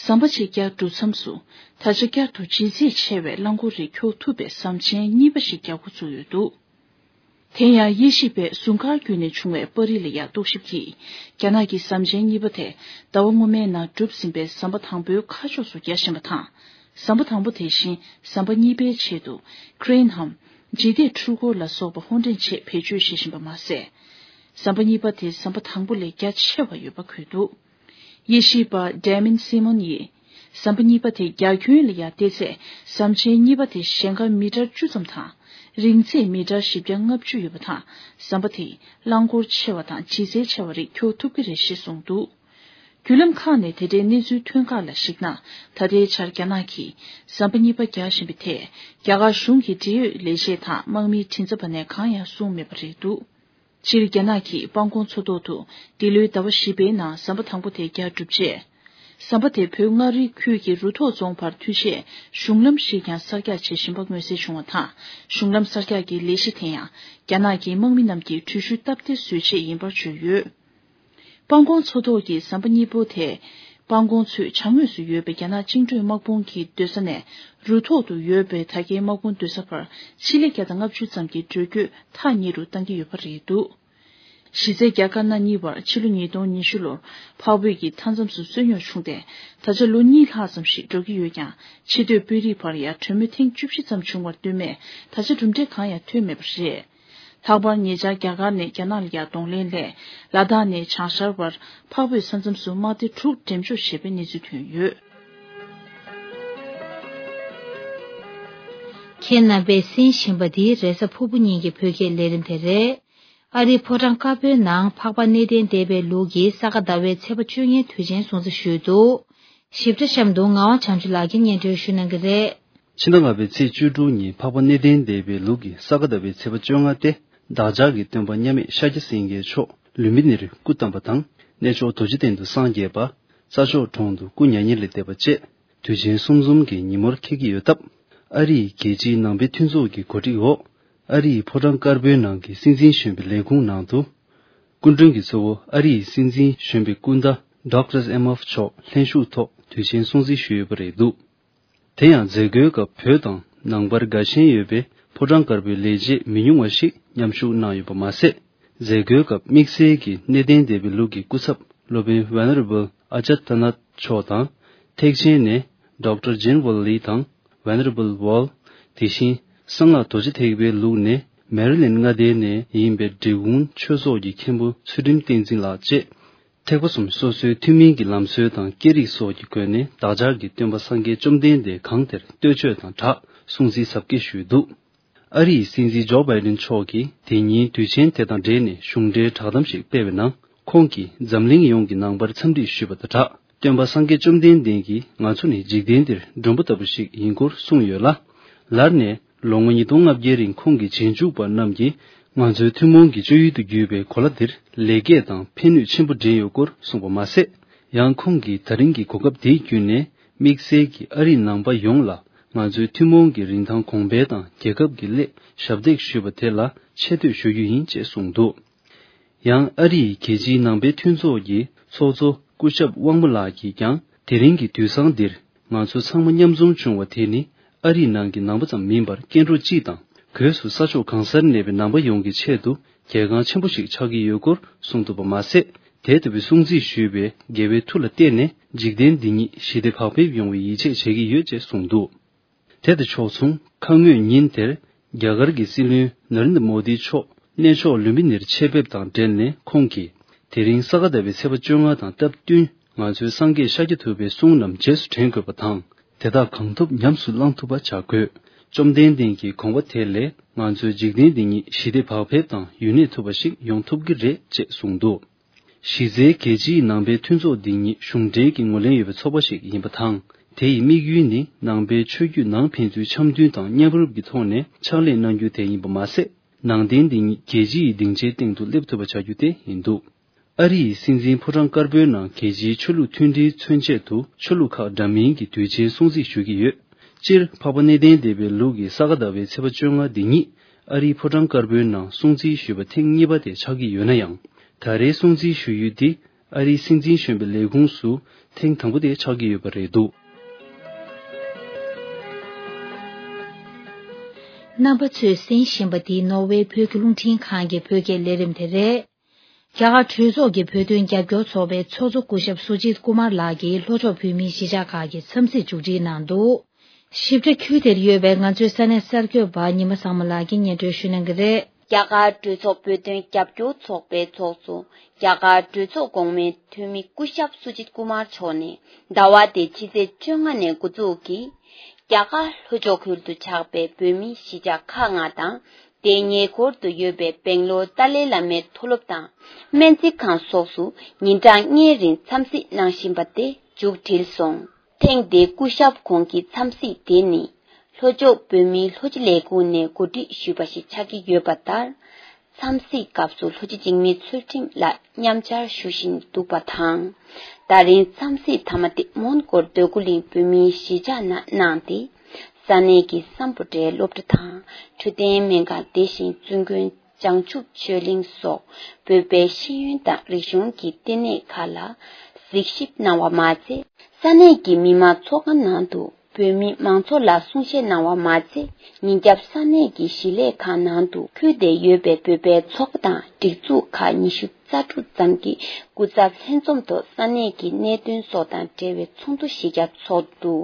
ཟམ་པ་ཅིག་བརྒྱབ་གྲུབ་མཚམས་སུ། ད་ཆ་བསྐྱར་དུ་ལྗིད་ཚད་ཆེ་བའི་རླངས་འཁོར་རིགས་འཁྱོག་ཐུབ་པའི་ཟམ་ཆེན་གཉིས་པ་ཞིག་རྒྱག་འགོ་བཙུགས་ཡོད་འདུག། དེ་ཡང་། དབྱེ་ཞིབ་པས་ཟུར་མཁར་བརྒྱུད་ནས་བྱུང་བའི་པར་རིས་ལ་ཡང་རྟོག་ཞིབ་ཀྱིས། རྒྱ་ནག་གིས་ཟམ་ཆེན་གཉིས་པ་དེ་ཟླ་བ་སྔོན་མའི་ནང་གྲུབ་ཟིན་པའི་ཟམ་པ་དང་པོའི་ཁ་ཕྱོགས་སུ་རྒྱག་བཞིན་པ་དང་། ཟམ་པ་དང་པོ་དེ་བཞིན་ཟམ་པ་གཉིས་པའི་ཆེད་དུ་ཀི་རེན་འམ། ལྗིད་ཐེབས་འཕྲུལ་འཁོར་ལ་སོགས་པ་ཧོར་འདྲེན་ཆེད་བེད་སྤྱོད་བྱེད་བཞིན་པ་མ་ཟད། ཟམ་པ་གཉིས་པ་དེ་ཟམ་པ་དང་པོ་ལས་རྒྱ་ཆེ་བ་ཡོད་པ་འཁོད་འདུག། དབྱེ་ཞིབ་པ་Damien Simon་ཡིས། ཟམ་པ་གཉིས་པ་དེ་རྒྱ་ཁྱོན་ལ་ཡང་བལྟས་ཚེ། ཟམ་ཆེན་གཉིས་པ་དེ་ཞེང་ཁ་མི་ཊར་བཅུ་ཙམ་དང་། རིང་ཚད་མི་ཊར་བཞི་བརྒྱ་ལྔ་བཅུ་ཡོད་པ་དང་། ཟམ་པ་དེས་རླངས་འཁོར་ཆེ་བ་དང་ལྗིད་ཚད་ཆེ་བ་རིགས་འཁྱོག་ཐུབ་ཀྱི་རེད་ཞེས་གསུངས་འདུག། བརྒྱུད་ལམ་ཁག་ནས་དེ་འབྲེལ་གནས་ཚུལ་ཐོན་ཁག་ལ་གཞིགས་ན། ད་ལྟའི་ཆར་རྒྱ་ནག་གིས་ཟམ་པ་གཉིས་པ་རྒྱག་བཞིན་པའི་ཐད། རྒྱ་གར་གཞུང་གི་འབྲེལ་ཡོད་ལས་བྱེད་དང་དམག་མིའི་མགྲིན་ཚབ་པ་ནས་གང་ཡང་གསུངས་མེད་པ་རེད་འདུག། སྤྱིར་རྒྱ་ནག་གིས་སྤང་གོང་མཚོ་ཐོག་ཏུ་འདི་ལོའི་ཟླ་བ་བཞི་པའི་ནང་ཟམ་པ་དང་པོ་དེ་རྒྱག་གྲུབ་རྗེས། ཟམ་པ་དེ་བོད་མངའ་རིས་ཁུལ་གྱི་རུ་ཐོག་རྫོང་བར་མཐུད་ཆེད་གཞུང་ལམ་ཞིག་ཀྱང་གསར་རྒྱག་བྱེད་བཞིན་པ་མངོན་གསལ་བྱུང་བ་དང་། གཞུང་ལམ་གསར་རྒྱག་གི་ལས་གཞི་དེ་ཡང་རྒྱ་ནག་གི་དམག་མི་རྣམས་ཀྱིས་འགྲུལ་བཞུད་སྟབས་བདེ་བཟོ་ཆེད་ཡིན་པར་བརྗོད་ཡོད། སྤང་གོང་མཚོ་ཐོག་གི་ཟམ་པ་གཉིས་པོ་དེ། སྤང་གོང་མཚོའི་བྱང་ངོས་སུ་ཡོད་པའི་རྒྱ་ནག་བཅིངས་འགྲོལ་དམག་དཔུང་གི་སྡོད་ས་ནས། རུ་ཐོག་ཏུ་ཡོད་པའི་ད་གའི་དམག་དཔུང་སྡོད་ས་བར་ཕྱི་ལེ་བརྒྱ་དང་ལྔ་བཅུ་ཙམ་གྱི་འགྲོ་སྐྱོད་ཐག་ཉེ་རུ་གཏང་གི་ཡོད་པ་རེད་འདུག། གཞི་རྩའི་རྒྱ་དཀར་ན་གཉིས་བར་ཕྱི་ལོ་ཉིས་སྟོང་ཉི་ཤུ་ལོར་འཕགས་བོད་ཀྱི་མཐའ་མཚམས་སུ་རྩོད་རྙོག་བྱུང་སྟེ། ད་ཆ་ལོ་གཉིས་ལྷག་ཙམ་ཞིག་འགྲོ་གི་ཡོད་ཀྱང་། ཕྱི་སྡོད་དཔོན་རིགས་བར་ཡང་གྲོས་མོལ་ཐེངས་བཅུ་བཞི་ཙམ་བྱུང་བར་ལྟོས་མེད། ད་ཆ་གྲུབ་འབྲས་གང་ཡང་ཐོན་མེད་པ་རེད། ལྷག་པར་ཉེ་ཆར་རྒྱ་གར་ནས་རྒྱ་ནག་ལ་ཡར་གདོང་ལེན་སླད། ལ་དྭགས་ནས་བྱང་ཤར་བར་འཕགས་བོད་ས་མཚམས་སུ་དམག་སྡེ་དྲུག་འགྲེམས་འཇོག་བྱས་པའི་གནས་ཚུལ་ཐོན་ཡོད། ཁྱེད་རྣམ་པས་གསན་བཞིན་པ་འདི་རེས་གཟའ་ཕུར་བུ་ཉིན་གྱི་བོད་སྐད་ལས་རིམ་དེ་རེད། ཨ་རིའི་ཕོ་བྲང་དཀར་པོའི་ནང་འཕགས་པ་གནས་བརྟན་སྡེ་པའི་ལུགས་ཀྱི་ས་ག་ཟླ་བའི་ཚེས་པ་བཅོ་ལྔའི་དུས་ཆེན་སྲུང་བརྩི་ཞུས་འདུག། ཞིབ་ཕྲ་གཤམ་དུ་ངག་དབང་བྱང་ཆུབ་ལགས་ཀྱིས་སྙན་སྒྲོན་ཞུ་གནང་གི་རེད། ཕྱི་ཟླ་ལྔ་པའི་ཚེས་བཅུ་དྲུག་ཉིན་འཕགས་པ་གནས་བརྟན་སྡེ་པའི་ལུགས་ཀྱི་ས་ག་ཟླ་བའི་ཚེས་པ་བཅོ་ལྔ་སྟེ། བདག་ཅག་གི་སྟོན་པ་མཉམ་མེད་ཤཱཀྱ་སེང་གེ་མཆོག་ལུམྦི་ནིར་སྐུ་བལྟམས་པ་དང་། གནས་མཆོག་རྡོ་རྗེ་གདན་དུ་སངས་རྒྱས་པ། ས་ཕྱོགས་གྲོང་དུ་སྐུ་མྱ་ངན་ལས་འདས་པ་བཅས། དུས་ཆེན་གསུམ་འཛོམས་ཀྱི་ཉིན་མོར་འཁེལ་གྱི་ཡོད་སྟབས། ཨ་རིའི་རྒྱལ་སྤྱིའི་ནང་པའི་མཐུན་ཚོགས་ཀྱི་གོ་སྒྲིག་འོག། ཨ་རིའི་ཕོ་བྲང་དཀར་པོའི་ནང་གི་སྲིད་འཛིན་གཞོན་པའི་ལས་ཁུངས་ནང་དུ། སྐུ་མགྲོན་གྱི་གཙོ་བོ་ཨ་རིའི་སྲིད་འཛིན་གཞོན་པའི་སྐུ་ཟླ་Doctor Emhoff་མཆོག་ལྷན་ཞུགས་ཐོག་དུས་ཆེན་སྲུང་བརྩི་ཞུས་ཡོད་པ་རེད་འདུག། དེ་ཡང་མཛད་སྒོའི་སྐབས་བོད་དང་ནང་པར་དགའ་ཞེན་ཡོད་པའི་ཕོ་བྲང་དཀར་པོའི་ལས་བྱེད་མི་ཉུང་བ་ཞིག་མཉམ་ཞུགས་གནང་ཡོད་པ་མ་ཟད། མཛད་སྒོའི་སྐབས་དམིགས་བསལ་གྱིས་གནས་བརྟན་སྡེ་པའི་ལུགས་ཀྱི་སྐུ་ཚབ་སློབ་དཔོན་Venerable Ajahn Tumhanak་མཆོག་དང་། ཐེག་ཆེན་ནས་Doctor Jin Won Lee་དང་། Venerable Wall། དེ་བཞིན་གསང་སྔགས་རྡོ་རྗེ་ཐེག་པའི་ལུགས་ནས་མེ་རི་ལེན་མངའ་སྡེ་ནས་ཡིན་པའི་འབྲི་གུང་ཆོས་ཚོགས་ཀྱི་མཁན་པོ་ཚུལ་ཁྲིམས་བསྟན་འཛིན་ལགས་བཅས། ཐེག་པ་གསུམ་སོ་སོའི་ཐུན་མིན་གྱི་ལམ་སྲོལ་དང་སྐད་རིགས་སོགས་ཀྱི་སྒོ་ནས་བདག་ཅག་གི་སྟོན་པ་སངས་རྒྱས་བཅོམ་ལྡན་འདས་གང་དེར་བསྟོད་ཆོས་དང་སྦྲགས་སྲུང་བརྩི་གཟབ་རྒྱས་ཞུས་འདུག། ཨ་རིའི་སྲིད་འཛིན་ཇོ་བྷའི་ཌེན་མཆོག་གིས་དེ་ཉིན་དུས་ཆེན་དེ་དང་འབྲེལ་ནས་གཞུང་འབྲེལ་བསྒྲགས་གཏམ་ཞིག་སྤེལ་བའི་ནང་། ཁོང་གིས་འཛམ་གླིང་ཡོངས་ཀྱི་ནང་པར་འཚམས་འདྲི་ཞུས་པ་དང་སྦྲགས། སྟོན་པ་སངས་རྒྱས་བཅོམ་ལྡན་འདས་ཀྱིས་ང་ཚོ་ནི་འཇིག་རྟེན་འདིར་མགྲོན་པོ་ལྟ་བུ་ཞིག་ཡིན་སྐོར་གསུངས་ཡོད་ལ། ལར་ནས་ལོ་ངོ་ཉིས་སྟོང་ལྔ་བརྒྱའི་རིང་ཁོང་གི་རྗེས་འཇུག་པ་རྣམས་ཀྱིས་ང་ཚོའི་ཐུན་མོང་གི་སྤྱོད་ཡུལ་དུ་གྱུར་པའི་གོ་ལ་འདིར་ལེགས་སྐྱེས་དང་ཕན་ནུས་ཆེན་པོ་འདྲེན་ཡོད་སྐོར་གསུངས་པ་མ་ཟད། ཡང་ཁོང་གིས་ད་རིང་གི་གོ་སྐབས་འདི་བརྒྱུད་ནས་དམིགས་བསལ་གྱིས་ཨ་རིའི་ནང་པ་ཡོངས་ལ་ ང་ཚོའི་ཐུན་མོང་གི་རིན་ཐང་གོང་འཕེལ་དང་རྒྱལ་ཁབ་ཀྱི་སླད་ཞབས་འདེགས་ཞུས་པ་དེ་ལ་ཆེ་བསྟོད་ཞུ་རྒྱུ་ཡིན་ཅེས་གསུངས་འདུག། ཡང་ཨ་རི་ཡི་རྒྱལ་སྤྱིའི་ནང་པའི་མཐུན་ཚོགས་ཀྱི་ཚོགས་གཙོ་སྐུ་ཞབས་དབང་མོ་ལགས་ཀྱིས་ཀྱང་དེ་རིང་གི་དུས་བཟང་འདིར་ང་ཚོ་ཚང་མ་མཉམ་འཛོམས་བྱུང་བ་དེ་ནི་ཨ་རིའི་ནང་གི་ནང་པ་ཙམ་མིན་པར་སྐྱེ་འགྲོ་སྤྱི་དང་སྒོས་སུ་ས་ཕྱོགས་གང་སར་གནས་པའི་ནང་པ་ཡོངས་ཀྱི་ཆེད་དུ་གལ་འགངས་ཆེན་པོ་ཞིག་ཆགས་ཀྱི་ཡོད་སྐོར་གསུངས་འདུག་པ་མ་ཟད། དེ་ལྟ་བུའི་སྲུང་བརྩི་ཞུས་པའི་དགེ་བའི་མཐུ་ལ་བརྟེན་ནས་འཇིག་རྟེན་འདི་ཉིད་ཞི་བདེ་བག་ཕེབས་ཡོང་བའི་ཡིད་ཆེས་བྱེད་ཀྱི་ཡོད་ཅེས་གསུངས་འདུག། དེ་དང་ཕྱོགས་མཚུངས། ཁ་སྔོན་ཉིན་དེར་རྒྱ་གར་གྱི་སྲིད་བློན་ནཱ་རེན་དྲ་མོ་དི་མཆོག་གནས་མཆོག་ལུམ་བི་ནིར་ཆེད་ཕེབས་དང་འབྲེལ་ནས་ཁོང་གིས། དེ་རིང་ས་ག་ཟླ་བའི་ཚེས་པ་བཅོ་ལྔ་དང་སྟབས་བསྟུན་ང་ཚོའི་སངས་རྒྱས་ཤཱཀྱ་ཐུབ་པའི་གསུང་རྣམས་རྗེས་སུ་དྲན་དགོས་པ་དང་། དེ་དག་གང་ཐུབ་ཉམས་སུ་བླང་ཐུབ་པ་བྱ་དགོས། བཅོམ་ལྡན་འདས་ཀྱི་དགོངས་པ་དེ་ལས་ང་ཚོའི་འཇིག་རྟེན་འདི་ཉིད་ཞི་བདེ་བག་ཕེབས་དང་ཡུན་གནས་ཐུབ་པ་ཞིག་ཡོང་ཐུབ་ཀྱི་རེད་ཅེས་གསུངས་འདུག། གཞི་རྩའི་རྒྱལ་སྤྱིའི་ནང་པའི་མཐུན་ཚོགས་འདི་ཉིད་གཞུང་འབྲེལ་གྱི་ངོས་ལེན་ཡོད་པའི་ཚོགས་པ་ཞིག་ཡིན་པ་དང་། དེ་ཡི་དམིགས་ཡུལ་ནི་ནང་པའི་ཆོས་བརྒྱུད་ནང་ཕན་ཚུན་འཆམ་མཐུན་དང་མཉམ་རུབ་ཀྱི་ཐོག་ནས་ཕྱག་ལས་གནང་རྒྱུ་དེ་ཡིན་པ་མ་ཟད། ནང་བསྟན་འདི་ཉིད་རྒྱལ་སྤྱི་ཡི་སྡིངས་ཆའི་སྟེང་དུ་སླེབས་ཐུབ་པ་བྱ་རྒྱུ་དེ་ཡིན་འདུག། ཨ་རི་ཡི་སྲིད་འཛིན་ཕོ་བྲང་དཀར་པོའི་ནང་རྒྱལ་སྤྱིའི་ཆོས་ལུགས་མཐུན་སྒྲིལ་མཚོན་ཆེད་དུ་ཆོས་ལུགས་ཁག་འདྲ་མིན་གྱི་དུས་ཆེན་སྲུང་བརྩི་ཞུ་གི་ཡོད། སྤྱིར་འཕགས་པ་གནས་བརྟན་སྡེ་པའི་ལུགས་ཀྱི་ས་ག་ཟླ་བའི་ཚེས་པ་བཅོ་ལྔ་འདི་ཉིད་ཨ་རིའི་ཕོ་བྲང་དཀར་པོའི་ནང་སྲུང་བརྩི་ཞུས་པ་ཐེངས་གཉིས་པ་དེ་ཆགས་ཀྱི་ཡོད་ན་ཡང་། ད་རེས་སྲུང་བརྩི་ཞུ་ཡུལ་འདི་ཨ་རིའི་སྲིད་འཛིན་གཞོན་པའི་ལས་ཁུངས་སུ་ཐེངས་དང་པོ་དེ་ཆགས་ཀྱི་ཡོད་པ་རེད་འདུག། རྣམ་པ་ཚོས་གསན་བཞིན་པ་འདི་ནོར་ཝེ་བོད་ཀྱི་རླུང་འཕྲིན་ཁང་གི་བོད་སྐད་ལས་རིམ་དེ་རེད། རྒྱ་གར་གྲོས་ཚོགས་ཀྱི་བོད་དོན་རྒྱབ་སྐྱོར་ཚོགས་པའི་ཚོགས་གཙོ་སྐུ་ཞབས་སུ་ཇིད་ཀུ་མར་ལགས་ཀྱིས་ལྷོ་ཕྱོགས་བོད་མིའི་གཞིས་ཆགས་ཁག་གི་འཚམས་གཟིགས་མཇུག་སྒྲིལ་གནང་འདུག། ཞིབ་ཕྲ་ཁུལ་དེར་ཡོད་པའི་ང་ཚོའི་ས་གནས་གསར་འགོད་པ་ཉི་མ་བཟང་མོ་ལགས་ཀྱིས་སྙན་སྒྲོན་ཞུ་གནང་གི་རེད། རྒྱ་གར་གྲོས་ཚོགས་བོད་དོན་རྒྱབ་སྐྱོར་ཚོགས་པའི་ཚོགས་གཙོ། རྒྱ་གར་གྲོས་ཚོགས་གོང་མའི་འཐུས་མི་སྐུ་ཞབས་སུ་ཇིད་ཀུ་མར་མཆོག་ནས་ཟླ་བ་འདིའི་ཕྱི་ཚེས་བཅོ་ལྔ་ནས་འགོ་འཛུགས་ཀྱིས། རྒྱ་གར་ལྷོ་ཕྱོགས་ཁུལ་དུ་ཆགས་པའི་བོད་མིའི་གཞིས་ཆགས་ཁག་ལྔ་དང་། དེའི་ཉེ་འཁོར་དུ་ཡོད་པའི་སྦེང་ལོར་ཏཱ་ལའི་བླ་མའི་མཐོ་སློབ་དང་སྨན་རྩིས་ཁང་སོགས་སུ་ཉིན་གྲངས་ལྔའི་རིང་འཚམས་གཟིགས་གནང་བཞིན་པ་དེ་མཇུག་སྒྲིལ་སོང་། ཐེངས་འདིའི་སྐུ་ཞབས་ཁོང་གི་འཚམས་གཟིགས་དེ་ནི་ལྷོ་ཕྱོགས་བོད་མིའི་ལྷོ་སྤྱི་ལས་ཁུངས་ནས་གོ་སྒྲིག་ཞུས་པ་ཞིག་ཆགས་ཀྱི་ཡོད་པ་ལྟར། འཚམས་གཟིགས་སྐབས་སུ་ལྷོ་སྤྱི་འཇིགས་མེད་ཚུལ་ཁྲིམས་ལགས་མཉམ་བཅར་ཞུ་བཞིན་འདུག་པ་དང་། ད་རིང་འཚམས་གཟིགས་མཐའ་མ་དེ་མོན་གྷོར་འདོད་རྒུ་གླིང་བོད་མིའི་གཞིས་ཆགས་ནང་གནང་སྟེ། ས་གནས་ཀྱི་སམ་བྷོ་ཊའི་སློབ་གྲྭ་དང་འཕྲོད་བསྟེན་སྨན་ཁང་དེ་བཞིན་བཙུན་དགོན་བྱང་ཆུབ་ཆོས་གླིང་སོགས་བོད་པའི་ཤེས་ཡོན་དང་རིག་གཞུང་གི་ལྟེ་གནས་ཁག་ལ་གཟིགས་ཞིབ་གནང་བ་མ་ཚད། ས་གནས་ཀྱི་མི་མང་ཚོགས་ཁང་ནང་དུ་བོད་མི་མང་ཚོགས་ལ་གསུང་བཤད་གནང་བ་མ་ཚད། ཉིན་རྒྱབ་ས་གནས་ཀྱི་གཞིས་ལས་ཁང་ནང་དུ་ཁུལ་དེར་ཡོད་པའི་བོད་པའི་ཚོགས་པ་དང་སྒྲིག་འཛུགས་ཁག་ཉི་ཤུ་རྩ་དྲུག་ཙམ་གྱི་སྐུ་ཚབ་ལྷན་འཛོམས་ཐོག་ས་གནས་ཀྱི་གནད་དོན་སོགས་དང་འབྲེལ་བའི་ཚོགས་འདུ་གཞི་རྒྱ་ཚོགས་འདུ།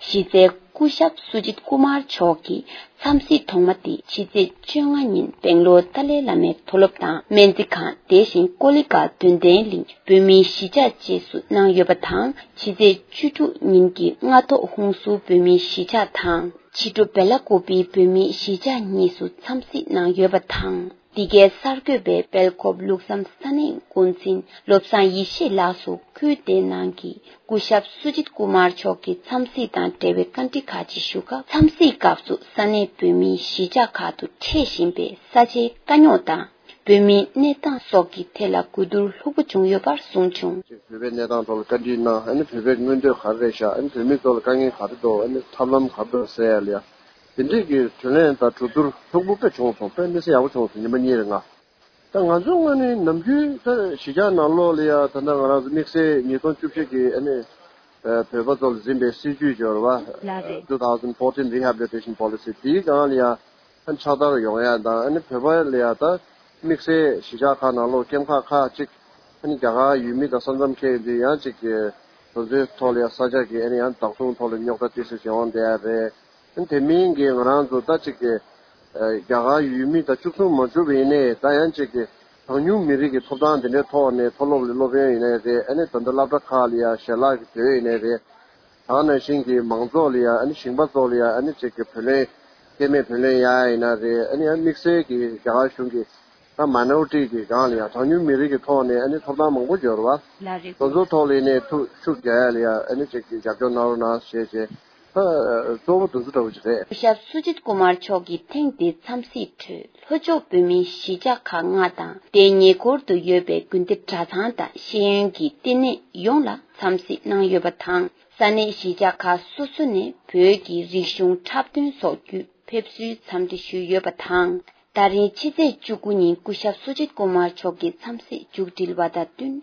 གཞི་རྩའི་སྐུ་ཞབས་སུ་ཇིད་ཀུ་མར་མཆོག་གི་འཚམས་གཟིགས་ཐོག་མ་དེ་ཕྱི་ཚེས་བཅོ་ལྔ་ཉིན་སྦེང་ལོར་ཏཱ་ལའི་བླ་མའི་མཐོ་སློབ་དང་སྨན་རྩིས་ཁང་། དེ་བཞིན་ཀོ་ལི་གྷལ་དོན་ལྡན་གླིང་བོད་མིའི་གཞིས་ཆགས་བཅས་སུ་གནང་ཡོད་པ་དང་། ཕྱི་ཚེས་བཅུ་དྲུག་ཉིན་གྱི་སྔ་ཐོག་ཧུན་སུར་བོད་མིའི་གཞིས་ཆགས་དང་། ཕྱི་དྲོ་སྦེ་ལ་ཀུ་པི་བོད་མིའི་གཞིས་ཆགས་གཉིས་སུ་འཚམས་གཟིགས་གནང་ཡོད་པ་དང་། འདི་གའི་གསར་འགོད་པས་སྦེལ་ཀོབ་ལུགས་བསམ་ས་གནས་འགོ་འཛིན་བློ་བཟང་ཡེ་ཤེས་ལགས་སུ་ཁུལ་དེའི་ནང་གི་སྐུ་ཞབས་སུ་ཇིད་ཀུ་མར་མཆོག་གི་འཚམས་གཟིགས་དང་འབྲེལ་བའི་བཀའ་འདྲི་ཁག་ཅིག་ཞུ་སྐབས། འཚམས་གཟིགས་སྐབས་སུ་ས་གནས་བོད་མིའི་གཞིས་ཆགས་ཁག་ཏུ་འཕྲད་བཞིན་པའི་ས་ཆའི་དཀའ་རྙོག་དང་། བོད་མིའི་གནས་སྟངས་སོགས་ཀྱི་ཐད་ལ་གོ་བསྡུར་ལྷུག་པོ་བྱུང་ཡོད་པར་གསུངས་བྱུང་། བོད་པའི་གནས་སྟངས་ཐོག་ལ་བཀའ་འདྲི་གནང་། ཨ་ནི་བོད་པའི་མངོན་འདོད་ག་རེ་རེད་ཤག་ཨ་ནི་བོད་མི་ཚོ་ལ་དཀའ་ངལ་ག་རེ་འདུག་ཨ་ནི་ཐབས་ལམ་ག་རེ་འདུག་ཟེར་ཡ་ལ་ཡ། དེ་འདྲས་ཀྱི་དྲིས་ལན་དང་གྲོས་བསྡུར་ལྷུག་པོ་དཔེ་བྱུང་སོང་། དཔེ་མི་སྲིད་ཡག་པོ་བྱུང་སོང་། ཉི་མ་གཉིས་རིང་ང་། ད་ང་ཚོའི་ངོས་ནས་ནམ་རྒྱུན་ད་གཞིས་ཆགས་ནང་ལོགས་ལ་ཡ་ད་ལྟ་ང་རང་ཚོ་དམིགས་བསལ་ཉིས་སྟོང་བཅུ་བཞི་གི་ཨ་ནི་བོད་པ་ཚོ་ལ་འཛིན་པའི་སྲིད་ཇུས་སྦྱོར་བ་ལགས་རེད། two thousand fourteen rehabilitation policy དེའི་སྒང་ལ་ཡ་ཨ་ནི་ཕྱག་བསྟར་ཡོང་ཡ་དང་། ཨ་ནི་བོད་པ་ལ་ཡ་ད་དམིགས་བསལ་གཞིས་ཆགས་ཁག་ནང་ལོགས་ཀེམ་ཁག་ཁག་ཅིག་ཨ་ནི་རྒྱ་གར་ཡུལ་མི་དང་ས་མཚམས་ཁེལ་དུས་ཡང་ཅིག་གི་དེ་ཚོའི་ཐོག་ལ་ཡ་ས་ཆ་གི་ཨ་ནི་ཡང་བདག་སྲུང་ཐོག་ལ་རྙོག་དྲ་ཏོག་ཙམ་བྱུང་བསྡད་ཡ་རེད། དེ་མིན་གྱི་ང་རང་ཚོ་ད་ཅིག་གི་རྒྱ་གར་ཡུལ་མི་དང་གཅིག་མཚུངས་མ་གྱུར་བ་ཡིན་ནའི། ད་ཡང་ཅིག་གི་གྲངས་ཉུང་མི་རིགས་ཀྱི་ཐོབ་ཐང་དེ་འདྲའི་ཐོག་ནས་མཐོ་སློབ་ལ་སློབ་ཡོན་ཡིན་ནའི་རེད། ཨ་ནི་ད་ལྟ་སློབ་གྲྭ་ཁག་ལ་ཡ་ཞལ་ལག་གི་དོད་ཡིན་ནའི་རེད། ད་ནང་བཞིན་གྱི་མང་ཚོགས་ལ་ཡ་ཨ་ནི་ཞིང་པ་ཚོ་ལ་ཡ་ཨ་ནི་ཅིག་གི་བུ་ལོན་སྐྱེད་མེད་བུ་ལོན་ཡ་ཡིན་ན་རེད། ཨ་ནི་ཡང་དམིགས་བསལ་གྱི་རྒྱ་གར་གཞུང་གི་ད་མའི་ནོ་རི་ཊི་གི་སྒང་ལ་ཡ་གྲངས་ཉུང་མི་རིགས་ཀྱི་ཐོག་ནས་ཨ་ནི་ཐོབ་ཐང་མང་པོ་ཡོད་རེད་བ། ལགས་རེད། དེ་ཚོ་ཐོག་ལ་ཡིན་ནའི་ཐུགས་ཤུགས་རྒྱག་ཡ་ལ་ཡ་ཨ་ནི་ཅིག་གི་རྒྱབ་སྐྱོར་གནང་རོགས་གནང་ཞེས་བྱས། ད་གཙོ་བོ་དེ་ཚོ་འདྲ་བོ་ཅིག་རེད། སྐུ་ཞབས་སུ་ཇིད་ཀུ་མར་མཆོག་གི་ཐེངས་འདིའི་འཚམས་གཟིགས་ཁྲོད་ལྷོ་ཕྱོགས་བོད་མིའི་གཞིས་ཆགས་ཁག་ལྔ་དང་དེའི་ཉེ་འཁོར་དུ་ཡོད་པའི་དགོན་སྡེ་གྲྭ་ཚང་དང་ཤེས་ཡོན་གྱི་ལྟེ་གནས་ཡོངས་ལ་འཚམས་གཟིགས་གནང་ཡོད་པ་དང་། ས་གནས་གཞིས་ཆགས་ཁག་སོ་སོ་ནས་བོད་ཀྱི་རིག་གཞུང་འཁྲབ་སྟོན་སོགས་བརྒྱུད་ཕེབས་བསུའི་འཚམས་འདྲི་ཞུས་ཡོད་པ་དང་། ད་རིང་ཕྱི་ཚེས་བཅུ་དགུ་ཉིན་སྐུ་ཞབས་བསོད་ཆེན་སྐུ་མར་མཆོག་གི་འཚམས་གཟིགས་མཇུག་སྒྲིལ་བ་དང་བསྟུན།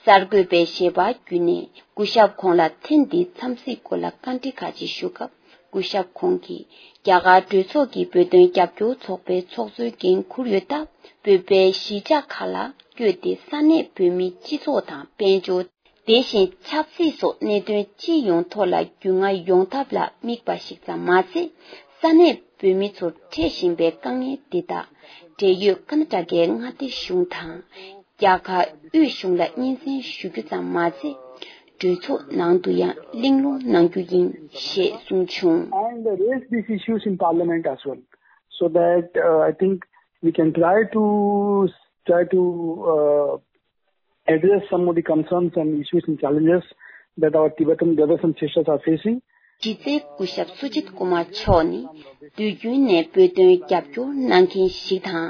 གསར་འགོད་པས་ཞལ་པར་བརྒྱུད་ནས་སྐུ་ཞབས་ཁོང་ལ་ཐེངས་འདིའི་འཚམས་གཟིགས་སྐོར་ལ་བཀའ་འདྲི་ཁག་ཅིག་ཞུ་སྐབས། སྐུ་ཞབས་ཁོང་གིས་རྒྱ་གར་གྲོས་ཚོགས་ཀྱི་བོད་དོན་རྒྱབ་སྐྱོར་ཚོགས་པའི་ཚོགས་གཙོའི་འགན་འཁུར་ཡོད་སྟབས། བོད་པའི་གཞིས་ཆགས་ཁག་ལ་བསྐྱོད་དེ་ས་གནས་བོད་མིའི་སྤྱི་ཚོགས་དང་དཔལ་འབྱོར། དེ་བཞིན་ཆབ་སྲིད་སོགས་གནད་དོན་སྤྱི་ཡོངས་ཐོག་ལ་རྒྱུས་མངའ་ཡོང་ཐབས་ལ་དམིགས་པ་ཞིག་ཙམ་མ་ཟད། ས་གནས་བོད་མི་ཚོར་འཕྲད་བཞིན་པའི་དཀའ་ངལ་འདི་དག་འབྲེལ་ཡོད་ཀར་ནཱ་ཊ་ཀའི་མངའ་སྡེ་གཞུང་དང་། རྒྱ་གར་དབུས་གཞུང་ལ་སྙན་སེང་ཞུ་རྒྱུ་ཙམ་མ་ཟད། གྲོས་ཚོགས་ནང་དུ་ཡང་གླེང་སློང་གནང་རྒྱུ་ཡིན་ཞེས་གསུངས་བྱུང་། And raise these issues in Parliament as well, so that uh, I think we can try to try to uh, address some of the concerns and issues and challenges that our Tibetan brothers and sisters are facing. གཞི་རྩའི་སྐུ་ཞབས་སུ་ཇིད་ཀུ་མར་མཆོག་ནི་དུས་རྒྱུན་ནས་བོད་དོན་རྒྱབ་སྐྱོར་གནང་མཁན་ཞིག་དང་།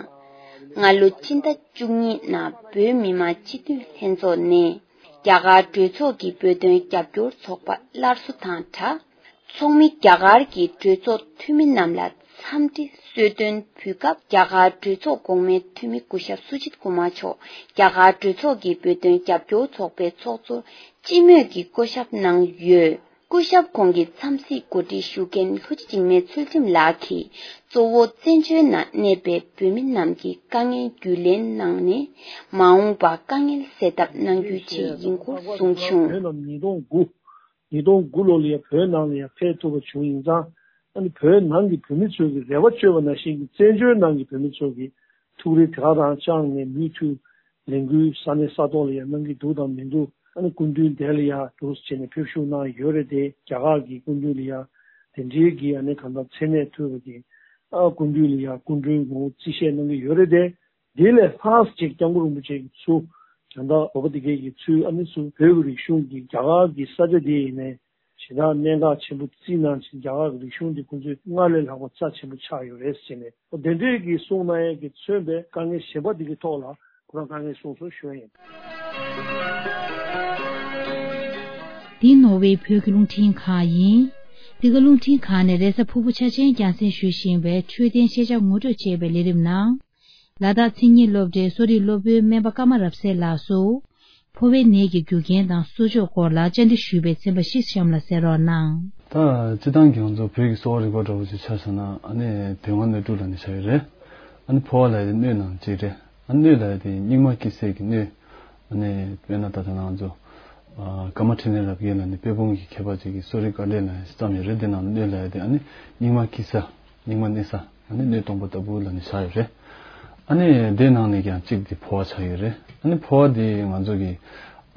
སྔ་ལོ་ཕྱི་ཟླ་བཅུ་གཉིས་ནང་བོད་མི་མང་སྤྱི་འཐུས་ལྷན་ཚོགས་ནས་རྒྱ་གར་གྲོས་ཚོགས་ཀྱི་བོད་དོན་རྒྱབ་སྐྱོར་ཚོགས་པ་སླར་གསོ་དང་སྦྲགས། ཚོགས་མི་རྒྱ་གར་གྱི་གྲོས་ཚོགས་འཐུས་མི་རྣམས་ལ་འཚམས་འདྲི་གསོལ་སྟོན་ཕུལ་སྐབས། རྒྱ་གར་གྲོས་ཚོགས་གོང་མའི་འཐུས་མི་སྐུ་ཞབས་སུ་ཇིད་ཀུ་མར་མཆོག་རྒྱ་གར་གྲོས་ཚོགས་ཀྱི་བོད་དོན་རྒྱབ་སྐྱོར་ཚོགས་པའི་ཚོགས་གཙོར་སྤྱི་མོས་ཀྱིས་བསྐོ་གཞག་གནང་ཡོད། སྐུ་ཞབས་ཁོང་གི་འཚམས་གཟིགས་གོ་སྒྲིག་ཞུ་མཁན་ལྷུན་གྲུབ་འཇིགས་མེད་ཚུལ་ཁྲིམས་ལགས་ཀྱིས། གཙོ་བོ་བཙན་བྱོལ་ནང་གནས་པའི་བོད་མི་རྣམས་ཀྱི་དཀའ་ངལ་རྒྱུས་ལོན་གནང་ནས། མ་འོངས་པར་དཀའ་ངལ་སེལ་ཐབས་གནང་རྒྱུའི་ཆེད་ཡིན་སྐོར་གསུངས་བྱུང་། བོད་ནང་ཉིས་སྟོང་དགུ། ཉིས་སྟོང་དགུ་ལོ་ལ་ཡང་བོད་ནང་ལ་ཡང་ཕེབས་ཐུབ་པ་བྱུང་ཡིན་ཙང་། ཨ་ནི་བོད་ནང་གི་བོད་མི་ཚོའི་གི་རེ་བ་བཅོལ་བ་ནང་བཞིན་གྱི་བཙན་བྱོལ་ནང་གི་བོད་མི་ཚོའི་གི་ཐུགས་རེ་དེ་ག་རང་བཅངས་ནས་མུ་མཐུད་ལས་འགུལ་ས་གནས་ས་ཐོག་ལ་ཡང་གནང་གི་འདུག་དང་མི་འདུག་ཨ་ནི་སྐུ་མདུན་འདི་ལ་ཡང་འདུག་སེ་བྱས་ནས་ཕེབས་བཞུགས་གནང་ཡོད་རེད་དེ། རྒྱ་གར་གྱི་སྐུ་མདུན་ལ་ཡང་དེ་འདྲའི་གི་ཨ་ནི་གང་ལྟར་མཚན་གནས་ཐོབ་པ་གི་ཨ་སྐུ་མདུན་ལ་ཡང་སྐུ་མགྲོན་ངོ་བོ་རྩིས་བཞེས་གནང་གི་ཡོད་རེད་དེ། དེ་ལས་ལྷག་ཅིག་སྐྱབས་མགོན་རིན་པོ་ཆེ་གི་ཚུལ་དོན་དག་བོད་པ་དེ་གའི་གི་ཚུལ་ཨ་ནི་ཚུལ་བོད་ཀྱི་རིག་གཞུང་གི་རྒྱ་གར་གྱི་ས་ཆ་དེ་ཡིན་ནའི་ཞེ་དྲག་གནད་འགག་ཆེན་པོ་བརྩིས་གནང་ཕྱིན། རྒྱ་གར་གྱི་རིག་གཞུང་དེ་ཁོང་ཚོས་སྔར་ལས་ལྷག་པ་རྩ་ཆེན་པོ་ཆགས་ཡོད་རེད་ཟེར་ནས། དེ་འདྲས་ཀྱི་གསུང་གནང་ཡས་ཀྱི་མཚོན་པའི་དཀའ་ངལ་གཞན་པ་དེ་གི་ཐོག་ལ་ཁོ་རང་དཀའ་ངལ་གསུངས་སོང་ཞུ་ཡ་ཡིན། འདི་ནོར་ཝེ་བོད་ཀྱི་རླུང་འཕྲིན་ཁང་ཡིན། འདི་ག་རླུང་འཕྲིན་ཁང་ནས་རེས་གཟའ་ཕུར་བུ་ཆ་ཆེན་རྒྱང་སྲིང་ཞུ་བཞིན་པའི་འཕྲོད་བསྟེན་ཤེས་བྱ་ངོ་སྤྲོད་ཅེས་པའི་ལས་རིམ་ནང་། ལ་དྭགས་མཚན་ཉིད་སློབ་གྲྭའི་གསོ་རིག་སློབ་དཔོན་སྨན་པ་ཀརྨ་རབ་གསལ་ལགས་སུ། ཕོ་བའི་ནད་ཀྱི་རྒྱུ་རྐྱེན་དང་གསོ་ཆོག་སྐོར་ལ་བཅར་འདྲི་ཞུས་པའི་ཚན་པ་བཞི་གཤམ་ལ་གསན་རོགས་གནང་། ད་སྤྱིར་བཏང་གི་ང་ཚོ་བོད་ཀྱི་གསོ་བ་རིག་པ་འདྲ་བོ་ཅིག་ཆ་བཞག་ན། ཨ་ནི་དོན་ལྔ་སྣོད་དྲུག་ལབ་ནས་བྱ་ཡོད་རེད། ཨ་ནི་ཕོ་བ་ལབ་ཡ་དེ་སྣོད་ནང་གཅིག་རེད། ཨ་ནི་སྣོད་ལབ་ཡ་དེ་སྙིགས་མ་སྐྱེ་སའི་གི་སྣོད། ཨ་ནི་དཔེར་ན་ད་ལྟ་ང་ཚོ་ཨ་ཀརྨ་འཕྲིན་ལས་རབ་རྒྱས་ལབ་ནས་དཔལ་སྤུངས་ཀྱི་མཁས་པ་ཅིག་གིས་གསོ་རིག་དཀའ་འགྲེལ་ལབ་ནས་བརྩམས་ཡོད་རེད། དེ་ནང་སྣོད་ལབ་ཡ་དེ་ཨ་ནི་སྙིགས་མ་སྐྱེ་ས། སྙིགས་མ་གནས་ས། ཨ་ནི་སྣོད་སྟོང་པ་ལྟ་བུ་ལབ་ནས་བཞག་ཡོད་རེད། ཨ་ནི་དེ་ནང་ནས་ཀྱང་གཅིག་དེ་ཕོ་བ་ཆགས་ཡོད་རེད། ཨ་ནི་ཕོ་བ་དེ་ང་ཚོ་གི་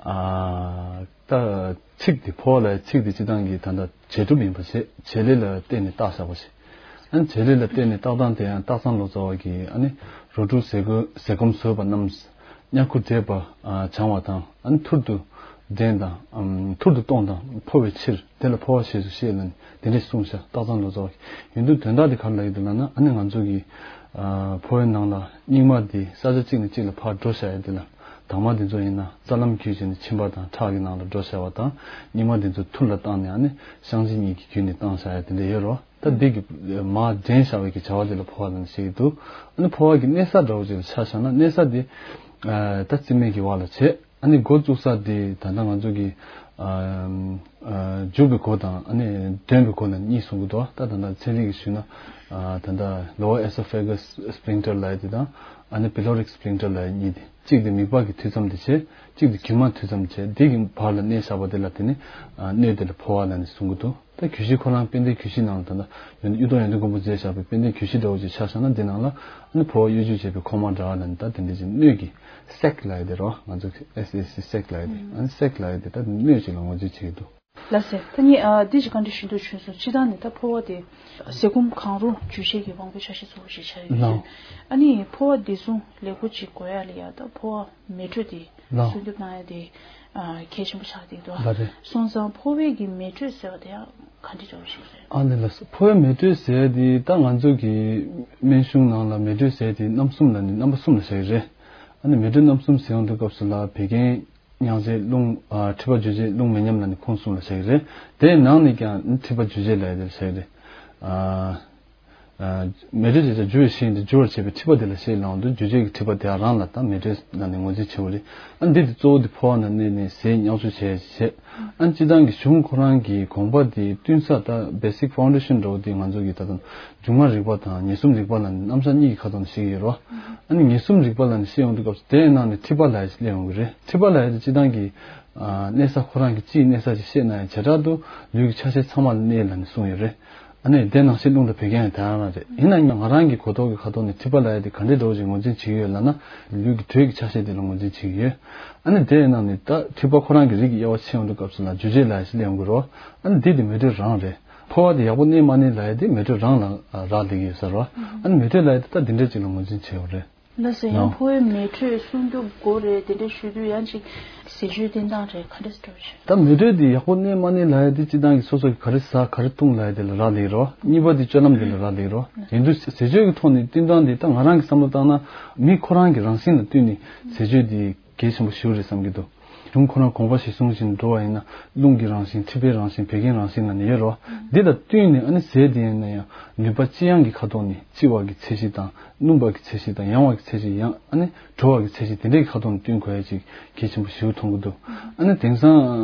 ཨ་ད་ཚིག་དེ་ཕོ་བ་ལ་ཚིག་དེ་སྤྱིར་བཏང་གི་ད་ལྟ་བྱེད་སྒྲུབ་ཡིན་པ་བྱེད་བྱེད་ལས་ལ་བརྟེན་ནས་བཏགས་བཞག་པ་ཞིག་ཨ་ནི་བྱེད་ལས་ལ་བརྟེན་ནས་བཏགས་སྟངས་དེ་ཡང་སྟག་ཚང་ལོ་ཙཱ་བ་གིས་ཨ་ནི་རོ་དྲུག་ཟས་གོ་ཟས་སྐོམ་ཟོས་པ་རྣམས། ཉ་ཁུ་བྲེད་པ་ཨ་བྱང་བ་དང་། ཨ་ནི་ཐུར་དུ་འདྲེན་དང་། ཨམ་ཐུར་དུ་གཏོང་དང་འཕོ་བའི་ཕྱིར། དེ་ལ་འཕོ་བ་ཞེས་སུ་བཤད་ལབ་ནས་དེ་འདྲས་གསུངས་ཤག་སྟག་ཚང་ལོ་ཙཱ་བ་གིས། ཡིན་དུས་དོན་དག་དེ་ག་རེ་ལབ་ཀྱི་འདུག་ལབ་ན། ཨ་ནི་ང་ཚོ་གི་ཨ་ཕོ་བའི་ནང་ལ་སྙིགས་མ་དེ་ས་ཆ་གཅིག་ནས་གཅིག་ལ་ཕར་འགྲོ་བཞག་ཡ་དེ་ལ། དྭངས་མ་དེ་ཚོ་ཡིན་ན་རྩ་ལམ་བརྒྱུད་བྱས་ནས་མཆིན་པ་དང་ཁྲག་གི་ནང་ལ་འགྲོ་བཞག་པ་དང་། སྙིགས་མ་དེ་ཚོ་ཐུར་ལ་བཏང་ནས་ཨ་ནི་བཤང་གཅི་གཉིས་ཀྱིས་བརྒྱུད་ནས་བཏང་བཞག་ཡ་དེ་འདྲས་ཡོད་རེད། ད་འདི་གི་མར་འདྲེན་བཞག་པའི་གི་བྱ་བ་དེ་ལ་ཕོ་བ་ལབ་ནས་བཤད་ཀྱི་འདུག་ཨ་ནི་ཕོ་བ་གི་གནས་ས་འདྲ་བོ་ཅིག་ལ་ཆ་བཞག་ན། གནས་ས་དེ་ཨ་ད་རྩིབ་མའི་གི་བར་ལ་བྱེད། ཨ་ནི་འགོ་བཙུགས་ས་དེ་ད་ལྟ་ང་ཚོ་གི་ཨ་ཨ་མཇུག་པའི་སྒོ་དང་ཨ་ནི་འདོན་པའི་སྒོ་ལ་གཉིས་གསུང་གི་འདུག་ད་ད་ལྟ་ཚན་རིག་གིས་ཞུས་ན་ཨ་ད་ལྟ་lower esophagus sphincter ལབ་ཡ་དེ་དང་། ཨ་ནི་pyloric sphincter ལབ་ཡ་གཉིས་དེ། གཅིག་དེ་མིད་པ་གི་མཐུད་མཚམས་དེ་བྱེད། གཅིག་དེ་རྒྱུ་མ་མཐུད་མཚམས་བྱེད། དེ་གི་བར་ལ་གནས་བཞག་པ་དེ་ལ་དེ་ནི་ཨ་སྣོད་དེ་ལ་ཕོ་བ་ལབ་ནས་གསུང་གི་འདུག་ད་གྱོད་གཞི་ཁོ་རང་དཔལ་ལྡན་གྱོད་གཞི་ནང་ལ་ད་ལྟ་ཡོན་གཡུ་ཐོག་ཡོན་ཏན་མགོན་པོ་མཛད་བཞག་པའི་དཔལ་ལྡན་གྱོད་གཞི་འདྲ་བོ་ཅིག་ཆ་བཞག་ན། འདི་ནང་ལ་ཨ་ནི་ཕོ་བ་གཡོ་སྒྱུ་བྱས་པའི་ཁོག་མ་འདྲ་བ་ལ་ནི་ད་དེ་འདྲ་ཅིག་སྣོད་ཀྱི་sac ལབ་ཡ་དེ་རེད་བ། ང་ཚོ་S A C sac ལབ་ཡ་དེ། ཨ་ནི་sac ལབ་ཡ་དེ་ད་སྣོད་ཅིག་ལ་ངོས་འཛིན་བྱེད་ཀྱི་འདུག་ལགས་སེ། ད་ངས་ཨ་འདི་ཅིག་བཀའ་འདྲི་ཞུ་འདོད་བྱུང་སོང་། སྤྱིར་བཏང་ནས་ད་ཕོ་བ་དེ་ཟས་སྐོམ་གང་རུང་འཇུ་བྱེད་ཀྱི་དབང་པོའི་ཆ་ཤས་གཙོ་བོ་ཞིག་ཆགས་ཡོད་ལགས། ཅེས། ཨ་ནི་ཕོ་བ་བདེ་སྲུང་ལེགས་པོ་ཅིག་དགོས་ཡ་ལ་ཡ་ད་ཕོ་བ་མེ་དྲོད་དེ་ལགས། སྲུང་སྐྱོབ་གནང་ཡ་དེ་ཨ་གལ་ཆེན་པོ་ཆགས་བསྡད་འདུག་ལགས་རེད། སོང་ཙང་ཕོ་བའི་གི་མེ་དྲོད་ཟེར་བ་དེ་ཡང་ག་འདྲ་འདྲ་བོ་ཞིག་རེད། ཨ་ནི་ལགས་སོ། ཕོ་བའི་མེ་དྲོད་ཟེར་ཡ་དེ་ད་ང་ཚོ་གི་སྨན་གཞུང་ནང་ལ་མེ་དྲོད་ཟེར་ཡ་དེ་རྣམ་གསུམ་ལ་ནི་རྣམ་པ་གསུམ་ལ་བཞག་གི་རེད། ཨ་ནི་མེ་དྲོད་རྣམ་གསུམ་ཟེར་ཡོང་དུས་སྐབས་སུ་ལ་བད་ཀན། མྱང་ཟས་རླུང་ཨ་མཁྲིས་པ་འཇུ་བྱེད་རླུང་མི་ཉམས་ལབ་ནས་ཁུངས་གསུམ་ལ་བཞག་གི་རེད། དེའི་ནང་ནས་ཀྱང་མཁྲིས་པ་འཇུ་བྱེད་ལབ་ཡ་དེ་ལ་བཞག་གི་རེད། ཨ་ཨ་མེ་དྲོད་ཅེས་བྱ་འཇུ་བའི་ཤིང་དེ་འཇུ་བར་བྱེད་པའི་མཁྲིས་པ་དེ་ལ་བཤད་ལབ་འོང་དུས་འཇུ་བྱེད་ཀྱི་མཁྲིས་པ་དེ་རང་ལ་ད་མེ་དྲོད་ལབ་ནས་ངོས་འཛིན་བྱེད་དགོས་རེད། ཨ་འདི་དེ་གཙོ་བོ་དེ་ཕོ་བ་ནང་གནས་ནས་ཟས་མྱང་ཚོ་བྱས་བྱས། ཨ་སྤྱིར་བཏང་གི་གཞུང་ཁོ་རང་གི་དགོངས་པ་དེ་བསྟུན་ས་ད་basic foundation འདྲ་བོ་དེ་ང་ཚོ་གི་ད་དུང་འབྱུང་ཁམས་རིག་པ་དང་ཉེས་གསུམ་རིག་པ་ལ་རྣམ་གཞག་གཉིས་ཀྱི་ཁ་ཐོག་ནས་བཤད་ཀྱི་ཡོད་རེད། ཨ་ནི་ཉེས་གསུམ་རིག་པ་ལ་ནི་བཤད་ཡོང་དུས་སྐབས་སུ་དེའི་ནང་ནས་མཁྲིས་པ་ལབ་ཡ་ཞིག་སླེབས་ཡོང་གི་རེད། མཁྲིས་པ་ལབ་ཡ་དེ་སྤྱིར་བཏང་གི་ཨ་གནས་ས་ཁོ་རང་གི་སྤྱིའི་གནས་ས་ཅིག་བཤད་ན་ཡང་བྱེ་བྲག་ཏུ་ལུས་ཀྱི་ཆ་ཤས་ཚང་མ་ལ་གནས་ལབ་ནས་གསུངས་ཡོད་རེད། ཨ་ནི་དེ་ནང་བཞིན་རླུང་དང་བད་ཀན་ཡང་དེ་རང་རང་རེད། ཡིན་ན་ཡང་ང་རང་གི་གོ་རྟོགས་ཀྱི་ཁ་ཐོག་ནས་མཁྲིས་པ་ལབ་ཡ་དེ་ག་འདྲའི་འདྲ་བོ་ཞིག་ངོས་འཛིན་བྱེད་ཀྱི་ཡོད་ལབ་ན། ལུས་ཀྱི་དྲོད་ཀྱི་ཆ་ཤས་དེ་ལ་ངོས་འཛིན་བྱེད་ཀྱི་ཡོད། ཨ་ནི་དེའི་ནང་ནས་ད་མཁྲིས་པ་ཁོ་རང་གི་རིགས་ཀྱི་དབྱེ་བ་ཕྱེ་ཡོང་དུས་སྐབས་སུ་ལ་འཇུ་བྱེད་ལབ་ཡ་ཞིག་སླེབས་ཡོང་གི་རེད། ཨ་ནི་འདི་དེ་མེ་དྲོད་རང་རེད། ཕོ་བ་དེ་ཡག་པོ་གནས་མ་གནས་ལབ་ཡ་དེ་མེ་དྲོད་རང་ལ་རག་ལས་ཀྱི་ཡོད་ས་རེད། ཨ་ནི་མེ་དྲོད་ལབ་ཡ་དེ་ད་འདི་འདྲ་ཅིག་ལ་ངོས་འཛིན་བྱེད་ཡོད་རེད། ལགས་སོ། ཡང་ཕོ་བའི་མེ་དྲོད་སྲུང་སྐྱོབ་དགོས་རེད་དེ་འདྲ་ཞུ་དུས་ཡང་ཅིག་ཟས་སྤྱོད་བསྟེན་སྟངས་རེད་ག་འདྲ་འདྲ་བོ་ཞིག་ད་མེ་དྲོད་དེ་ཡག་པོ་གནས་མ་གནས་ལབ་ཡ་དེ་སྤྱིར་བཏང་གི་སོ་སོ་གི་ག་རེ་ཟ་ག་རེ་འཐུང་ལབ་ཡ་དེ་ལ་རག་ལས་རོ། གཉིས་པ་དེ་སྤྱོད་ལམ་དེ་ལ་རག་ལས་རོ། ཡིན་དུས་ཟས་སྤྱོད་ཀྱི་ཐོག་ནས་བསྟེན་སྟངས་དེ་ད་ང་རང་གི་བསམ་བློ་བཏང་ན་མི་ཁོ་རང་གི་རང་བཞིན་ལ་བསྟུན་ནས་ཟས་སྤྱོད་དེ་གལ་ཆེན་པོ་ཞིག་རེད་བསམ་གྱི་འདུག་གཞུང་ཁོ་རང་དགོངས་པ་གཞིར་བཟུང་བཞིན་འགྲོ་བ་ཡིན་ན་རླུང་གི་རང་བཞིན་མཁྲིས་པའི་རང་བཞིན་བད་ཀན་རང་བཞིན་ལ་ནི་ཡོད་རོ། འདི་ལ་བསྟུན་ནས་ཨ་ནི་ཟས་དེ་ཡིན་ན་ཡང་ནུས་པ་ལྕི་ཡང་གི་ཁ་ཐོག་ནས་ལྕི་བ་གི་ཚད་གཞི་དང་སྣུམ་པ་གི་ཚད་གཞི་དང་ཡང་བ་གི་ཚད་གཞི་ཡང་ཨ་ནི་དྲོ་བ་གི་ཚད་གཞི་དེ་འདྲའི་ཁ་ཐོག་ནས་བསྟུན་དགོས་ཡ་ཅིག་གལ་ཆེན་པོ་ཞིག་མཐོང་གི་འདུག་ཨ་ནི་དེང་སང་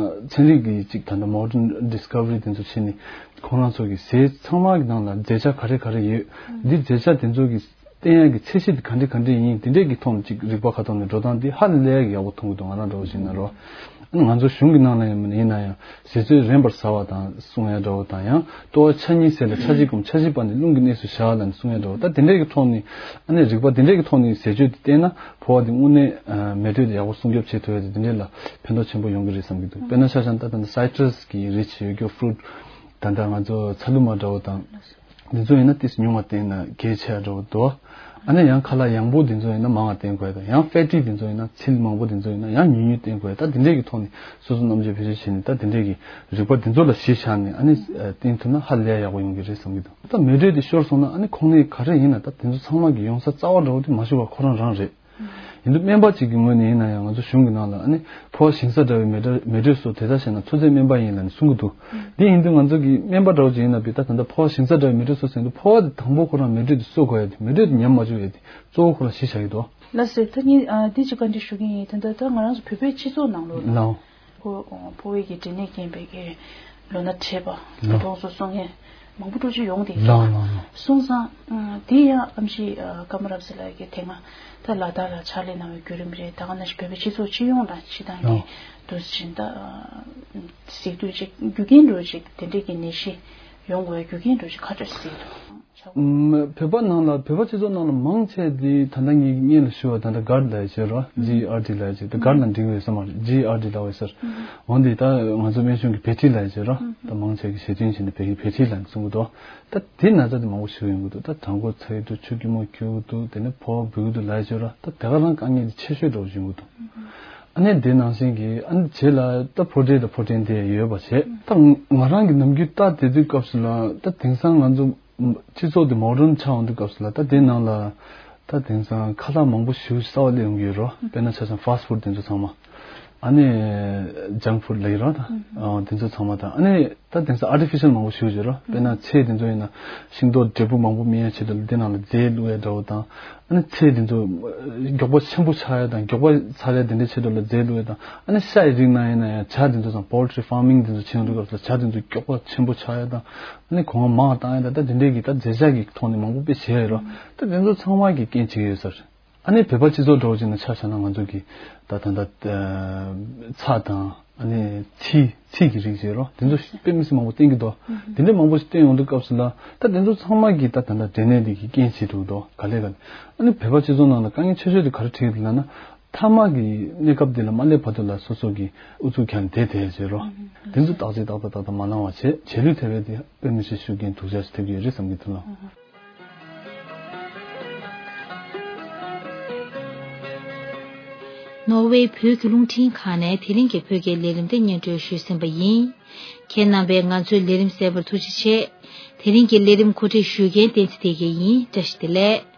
ཚན་རིག་གི་ཅིག་ད་ལྟ་modern discovery དེ་ཚོ་བྱས་ནས་ཁོང་རང་ཚོ་གི་ཟས་ཚང་མ་གི་ནང་ལ་རྫས་ཆ་ག་རེ་ག་རེ་ཡོད། འདི་རྫས་ཆ་དེ་ཚོ་གི་བསྟེན་ཡག་གི་ཚད་གཞི་དེ་ག་འདྲ་ག་འདྲ་ཡིན་དེ་འདྲས་ཀྱི་ཐོག་ནས་ཅིག་རིག་པ་ཁ་ཐོག་ནས་འགྲོ་སྟངས་དེ་ཧ་ལས་ཡག་ཡག་པོ་མཐོང་གི་འདུག་ང་རང་འདྲ་བོ་ཞིག་ན་རོ། ཨ་ནི་ང་ཚོ་གཞུང་གི་ནང་ལ་ཡིན་ན་ཡང་ཟས་ཚོད་རན་པར་ཟ་བ་དང་གསུང་ཡ་འདྲ་བོ་དང་ཡང་ལྟོ་བ་ཆ་གཉིས་ཟས་ལ་ཆ་གཅིག་གམ་ཆ་བཞི་བར་ནས་རླུང་གི་གནས་སུ་བཞག་ལབ་ནས་གསུང་ཡ་འདྲ་བོ་ད་དེ་འདྲས་ཀྱི་ཐོག་ནས་ཨ་ནི་རིག་པ་དེ་འདྲས་ཀྱི་ཐོག་ནས་ཟས་སྤྱོད་དེ་བསྟེན་ན་ཕོ་བ་དེ་དངོས་གནས་མེ་དྲོད་དེ་ཡག་པོ་སྲུང་སྐྱོབ་བྱེད་ཐུབ་ཡ་དེ་དེ་འདྲས་ལ་ཕན་ཐོགས་ཆེན་པོ་ཡོང་གི་རེད་བསམ་གྱི་འདུག་དཔེར་ན་ཆ་བཞག་ན་ད་ད་ལྟ་citrus གི་རིགས་ཡོད་རྒྱུ་fruit ད་ལྟ་ང་ཚོ་ཚ་ལུ་མ་འདྲ་བོ་དང་། འདི་ཚོ་ཡིན་ན་ཏིས་ཉུང་བ་བསྟེན་ན་གལ་ཆེ་བ་འདྲ་བོ་འདུག་ཨ་ནི་ཡང་ཁ་ལག་ཡང་པོ་འདི་ཚོ་ཡིན་ན་མང་བ་བསྟེན་དགོས་དང་ཡང་fatty འདི་ཚོ་ཡིན་ན་ཚིལ་མང་པོ་འདི་ཚོ་ཡིན་ན་ཡང་ཉུང་ཉུང་བསྟེན་དགོས་ད་འདི་འདྲས་ཀྱི་ཐོག་ནས་སོ་སོ་རྣམ་དཔྱོད་བེད་སྤྱོད་བྱས་ནས་ད་འདི་འདྲས་ཀྱི་རིག་པ་འདི་ཚོ་ལ་གཞི་བཞག་ནས་ཨ་ནི་བསྟེན་ཐུབ་ན་ཧ་ལས་ཡག་པོ་ཡོང་གི་རེད་བསམ་གྱི་འདུག་ད་མེ་དྲོད་འདི་ཤོར་སོང་ན་ཨ་ནི་ཁོང་ནས་ག་རེ་ཡིན་ན་ད་འདི་ཚོ་ཚང་མ་གི་ཡོང་ས་རྩ་བ་འདྲ་བོ་དེ་མ་ཞུ་བ་ཁོ་རང་རང་རེད། ཡིན་དུས་སྨན་པ་གཅིག་གི་ངོས་ནས་ཡིན་ན་ཡང་ང་ཚོ་གཞུང་གི་ནང་ལ་ཨ་ནི་ཕོ་བ་ཞིང་ས་འདྲ་བའི་མེ་དྲོད་མེ་དྲོད་སོགས་དེ་ལྟར་བྱས་ན་ཚོད་ཚོད་སྨན་པ་ཡིན་ལབ་ནས་གསུང་གི་འདུག་འདི་ཡིན་དུས་ང་ཚོ་གི་སྨན་པ་འདྲ་བོ་ཅིག་ཡིན་ན་བི་ད་ད་ལྟ་ཕོ་བ་ཞིང་ས་འདྲ་བའི་མེ་དྲོད་གསོ་ཟེར་དུས་ཕོ་བ་དེ་དང་པོ་ཁོ་རང་མེ་དྲོད་དེ་གསོ་དགོས་ཡ་དེ་མེ་དྲོད་དེ་ཉམས་མ་བཅུག་ཡ་དེ་གཙོ་བོ་ཁོ་རང་གཞི་བཞག་གི་འདུག་ལགས་སོ། ད་ནི་ཨ་འདི་ཅིག་བཀའ་འདྲི་ཞུ་གི་ཡིན། ད་ལྟ་ད་ང་རང་ཚོ་བོད་པའི་སྤྱི་ཚོགས་ནང་ལོགས་ལ་ལའོ། ཕོ་ཕོ་བའི་གི་འབྲས་ནད་རྐྱེན་པས་ཀྱི་ལོ་ན་བགྲེས་པ་ལོ། གྲོངས་སོ་སོང་ངས། མང་པོ་འགྲོ་རྒྱུ་ཡོང་དེ་ལའོ་ལའོ་ལའོ། སོང་ཙང་ཨ་དེ་ཡང་ཨམ་ཆི་ཨ་ཀརྨ་རབ་གསལ་ལགས་ཀྱིས་དེ་སྔ་ད་ལ་དྭགས་ལ་ཕྱག་ལས་གནང་བའི་བརྒྱུད་རིམ་རེད། ད་ག་ནང་བཞིན་བོད་པའི་སྤྱི་ཚོགས་སྤྱི་ཡོངས་ལ་སྤྱི་བཏང་གི་ལའོ། དུ་ཕྱིན་ད་གཟིགས་དུས་ཅིག་རྒྱུ་རྐྱེན་འགྲོ་ཅིག་དེ་འདྲས་ཀྱི་ནད་གཞི་ཡོང་དགོས་རྒྱུ་རྐྱེན་འགྲོ་ཅིག་ག་འདྲས་གཟིགས་འདུག་ཨམ་བོད་པ་ནང་ལ་བོད་པ་སྤྱི་ཚོགས་ནང་ལ་མང་ཆེ་དེ་ད་ལྟ་ངས་སྔོན་ལ་ཞུ་བ་ད་ལྟ་GERD ལབ་ཡ་བྱས་རོ། GERD ལབ་ཡ་བྱས་ད་GERD ལ་འགྲིག་བས་ས་མ་རེད། GERD ལབ་བས་ཟེར། འོན་ཏེ་ད་ང་ཚོ་སྨན་གཞུང་གི་བྷེ་ཊི་ལབ་ཡ་བྱས་རོ། ད་མང་ཆེ་གི་ཞེ་འདུན་བྱས་ནས་བྷེ་བྷེ་ཊི་ལབ་ནས་གསུང་གི་འདུག་ད་དེ་ན་ཚ་དེ་མང་པོ་ཞིག་ཡོང་གི་འདུག་ད་གྲང་འགོ་ཚ་གི་འདུག་ཆུ་སྐྱུར་མོ་འཁྱུག་གི་འདུག་དེ་ནས་ཕོ་བ་འབུད་གི་འདུག་ལབ་ཡ་བྱས་རོ། ད་དེ་ག་རང་དཀའ་ངལ་དེ་ཆེ་ཤོས་འདྲ་བོ་ཞིག་ཡོང་གི་འདུག་ཨ་ནི་དེ་ནང་བཞིན་གྱི་ཨ་ནི་རྗེས་ལ་ད་ཕོ་བྲེ་དང་ཕོ་བྲེན་དེ་ཡོད་པ་བྱས། ད་ང་རང་གི་ནམ་རྒྱུན་ལྟ་བསྡད་དུས་སྐབས་སུ་ལ་ད་དེང་སང་ང་ཚོ་སྤྱི་ཚོགས་དེ་མོ་ཌརན་ཆགས་ཡོང་དུས་སྐབས་སུ་ལ་ད་དེ་ནང་ལ་ད་དེང་སང་ཁ་ལག་མང་པོ་ཞིག་གསར་པ་སླེབས་ཡོང་གི་ཡོད་རོ། དཔེར་ན་ཆ་བཞག་ན་ཕཱ་སི་ཕུཌ་དེ་ཚོ་ཚང་མ་ཨ་ནི་ཇངྐ་ཕུཌ་ལབ་ཀྱི་རོ། ད་ཨ་དེ་ཚོ་ཚང་མ་ད་ཨ་ནི་ད་དེང་སང་ཨར་ཊི་ཕི་ཤལ་མང་པོ་ཞིག་ཡོད་རོ། དཔེར་ན་ཚལ་དེ་ཚོ་ཡིན་ན་ཤིང་ཏོག་འབྲས་བུ་མང་པོ་སྨིན་ཡ་ཆེད་དུ་ལ་དེ་ནང་ལ་རྫས་བླུགས་ཡ་འདྲ་བོ་དང་། ཨ་ནི་ཚལ་དེ་ཚོ་མགྱོགས་པ་ཆེན་པོ་ཆགས་ཡ་དང་མགྱོགས་པ་ཚར་ཡ་དེ་འདྲའི་ཆེད་དུ་ལ་རྫས་བླུགས་ཡ་དང་། ཨ་ནི་ཤ་ཡི་རིགས་ནང་ཡིན་ན་ཡང་བྱ་དེ་ཚོ་དང་པོལ་ཊི་རི་ཕཱ་མིང་དེ་ཚོ་བྱེད་ཡོང་དུས་སྐབས་སུ་བྱ་དེ་ཚོ་མགྱོགས་པ་ཆེན་པོ་ཆགས་ཡ་དང་། ཨ་ནི་གོང་མ་མང་བ་བཏང་ཡ་དང་ད་དེ་འདྲའི་གི་ད་རྫས་ཆ་གི་ཐོག་ནས་མང་པོ་དཔེ་བྱས་ཡོད་རོ། ད་དེ་ཚོ་ཚང་མ་གི་རྐྱེན་བྱེད་ཀྱི་ཡོད་ས་རེད། ཨ་ནི་བོད་པ་སྤྱི་ཚོགས་འདྲ་བོ་ཅིག་ནང་ཆ་བཞག་ན་ང་ཚོ་གི་ད་ད་ད་ཚྭ་དང་ཨ་ནི་ཚིལ་ཚིལ་གྱི་རིགས་བྱས་རོ། དེ་ཚོ་དཔེ་མི་སྲིད་མང་པོ་བསྟེན་གྱི་འདུག་དེ་འདྲ་མང་པོ་ཞིག་བསྟེན་ཡོང་དུས་སྐབས་སུ་ལ་ད་དེ་ཚོ་ཚང་མ་གི་ད་ད་ད་འབྲས་ནད་འདི་གི་རྐྱེན་བྱེད་འགྲོ་གི་འདུག་ག་ལེ་ག་ལེ། ཨ་ནི་བོད་པ་སྤྱི་ཚོགས་ནང་ལ་དཀའ་ངལ་ཆེ་ཤོས་དེ་ག་རེ་འཕྲད་ཀྱི་འདུག་ལབ་ན། མཐའ་མ་གི་གནས་སྐབས་དེ་ལ་མ་སླེབས་བར་དུ་ལ་སོ་སོ་གི་ཨུ་ཚུགས་ཁྱེར་ནས་བསྡད་བསྡད་བྱས་རོ། དེ་ཚོ་བརྟག་དཔྱད་ཏག་ཏག་ཏག་ཏག་མ་གནང་བ་བྱས་བྱས་ལུགས་ཐེབས་པའི་དེ་དཔེ་མི་སྲིད་ཤུགས་རྐྱེན་སྡུག་ཅག་ཞིག་ཐེབས་ཀྱི་ཡོད་རེད་བསམ་གྱི་འདུག་ལགས། ནོར་ཝེ་བོད་ཀྱི་རླུང་འཕྲིན་ཁང་ནས་དེ་རིང་གི་བོད་སྐད་ལས་རིམ་དེ་སྙན་སྒྲོན་ཞུས་ཟིན་པ་ཡིན། ཁྱེད་རྣམ་པས་ང་ཚོའི་ལས་རིམ་གསན་པར་ཐུགས་རྗེ་ཆེ། དེ་རིང་གི་ལས་རིམ་གོ་སྒྲིག་ཞུ་མཁན་བསྟན་འཛིན་བདེ་སྐྱིད་ཡིན། བཀྲ་ཤིས་བདེ་ལེགས།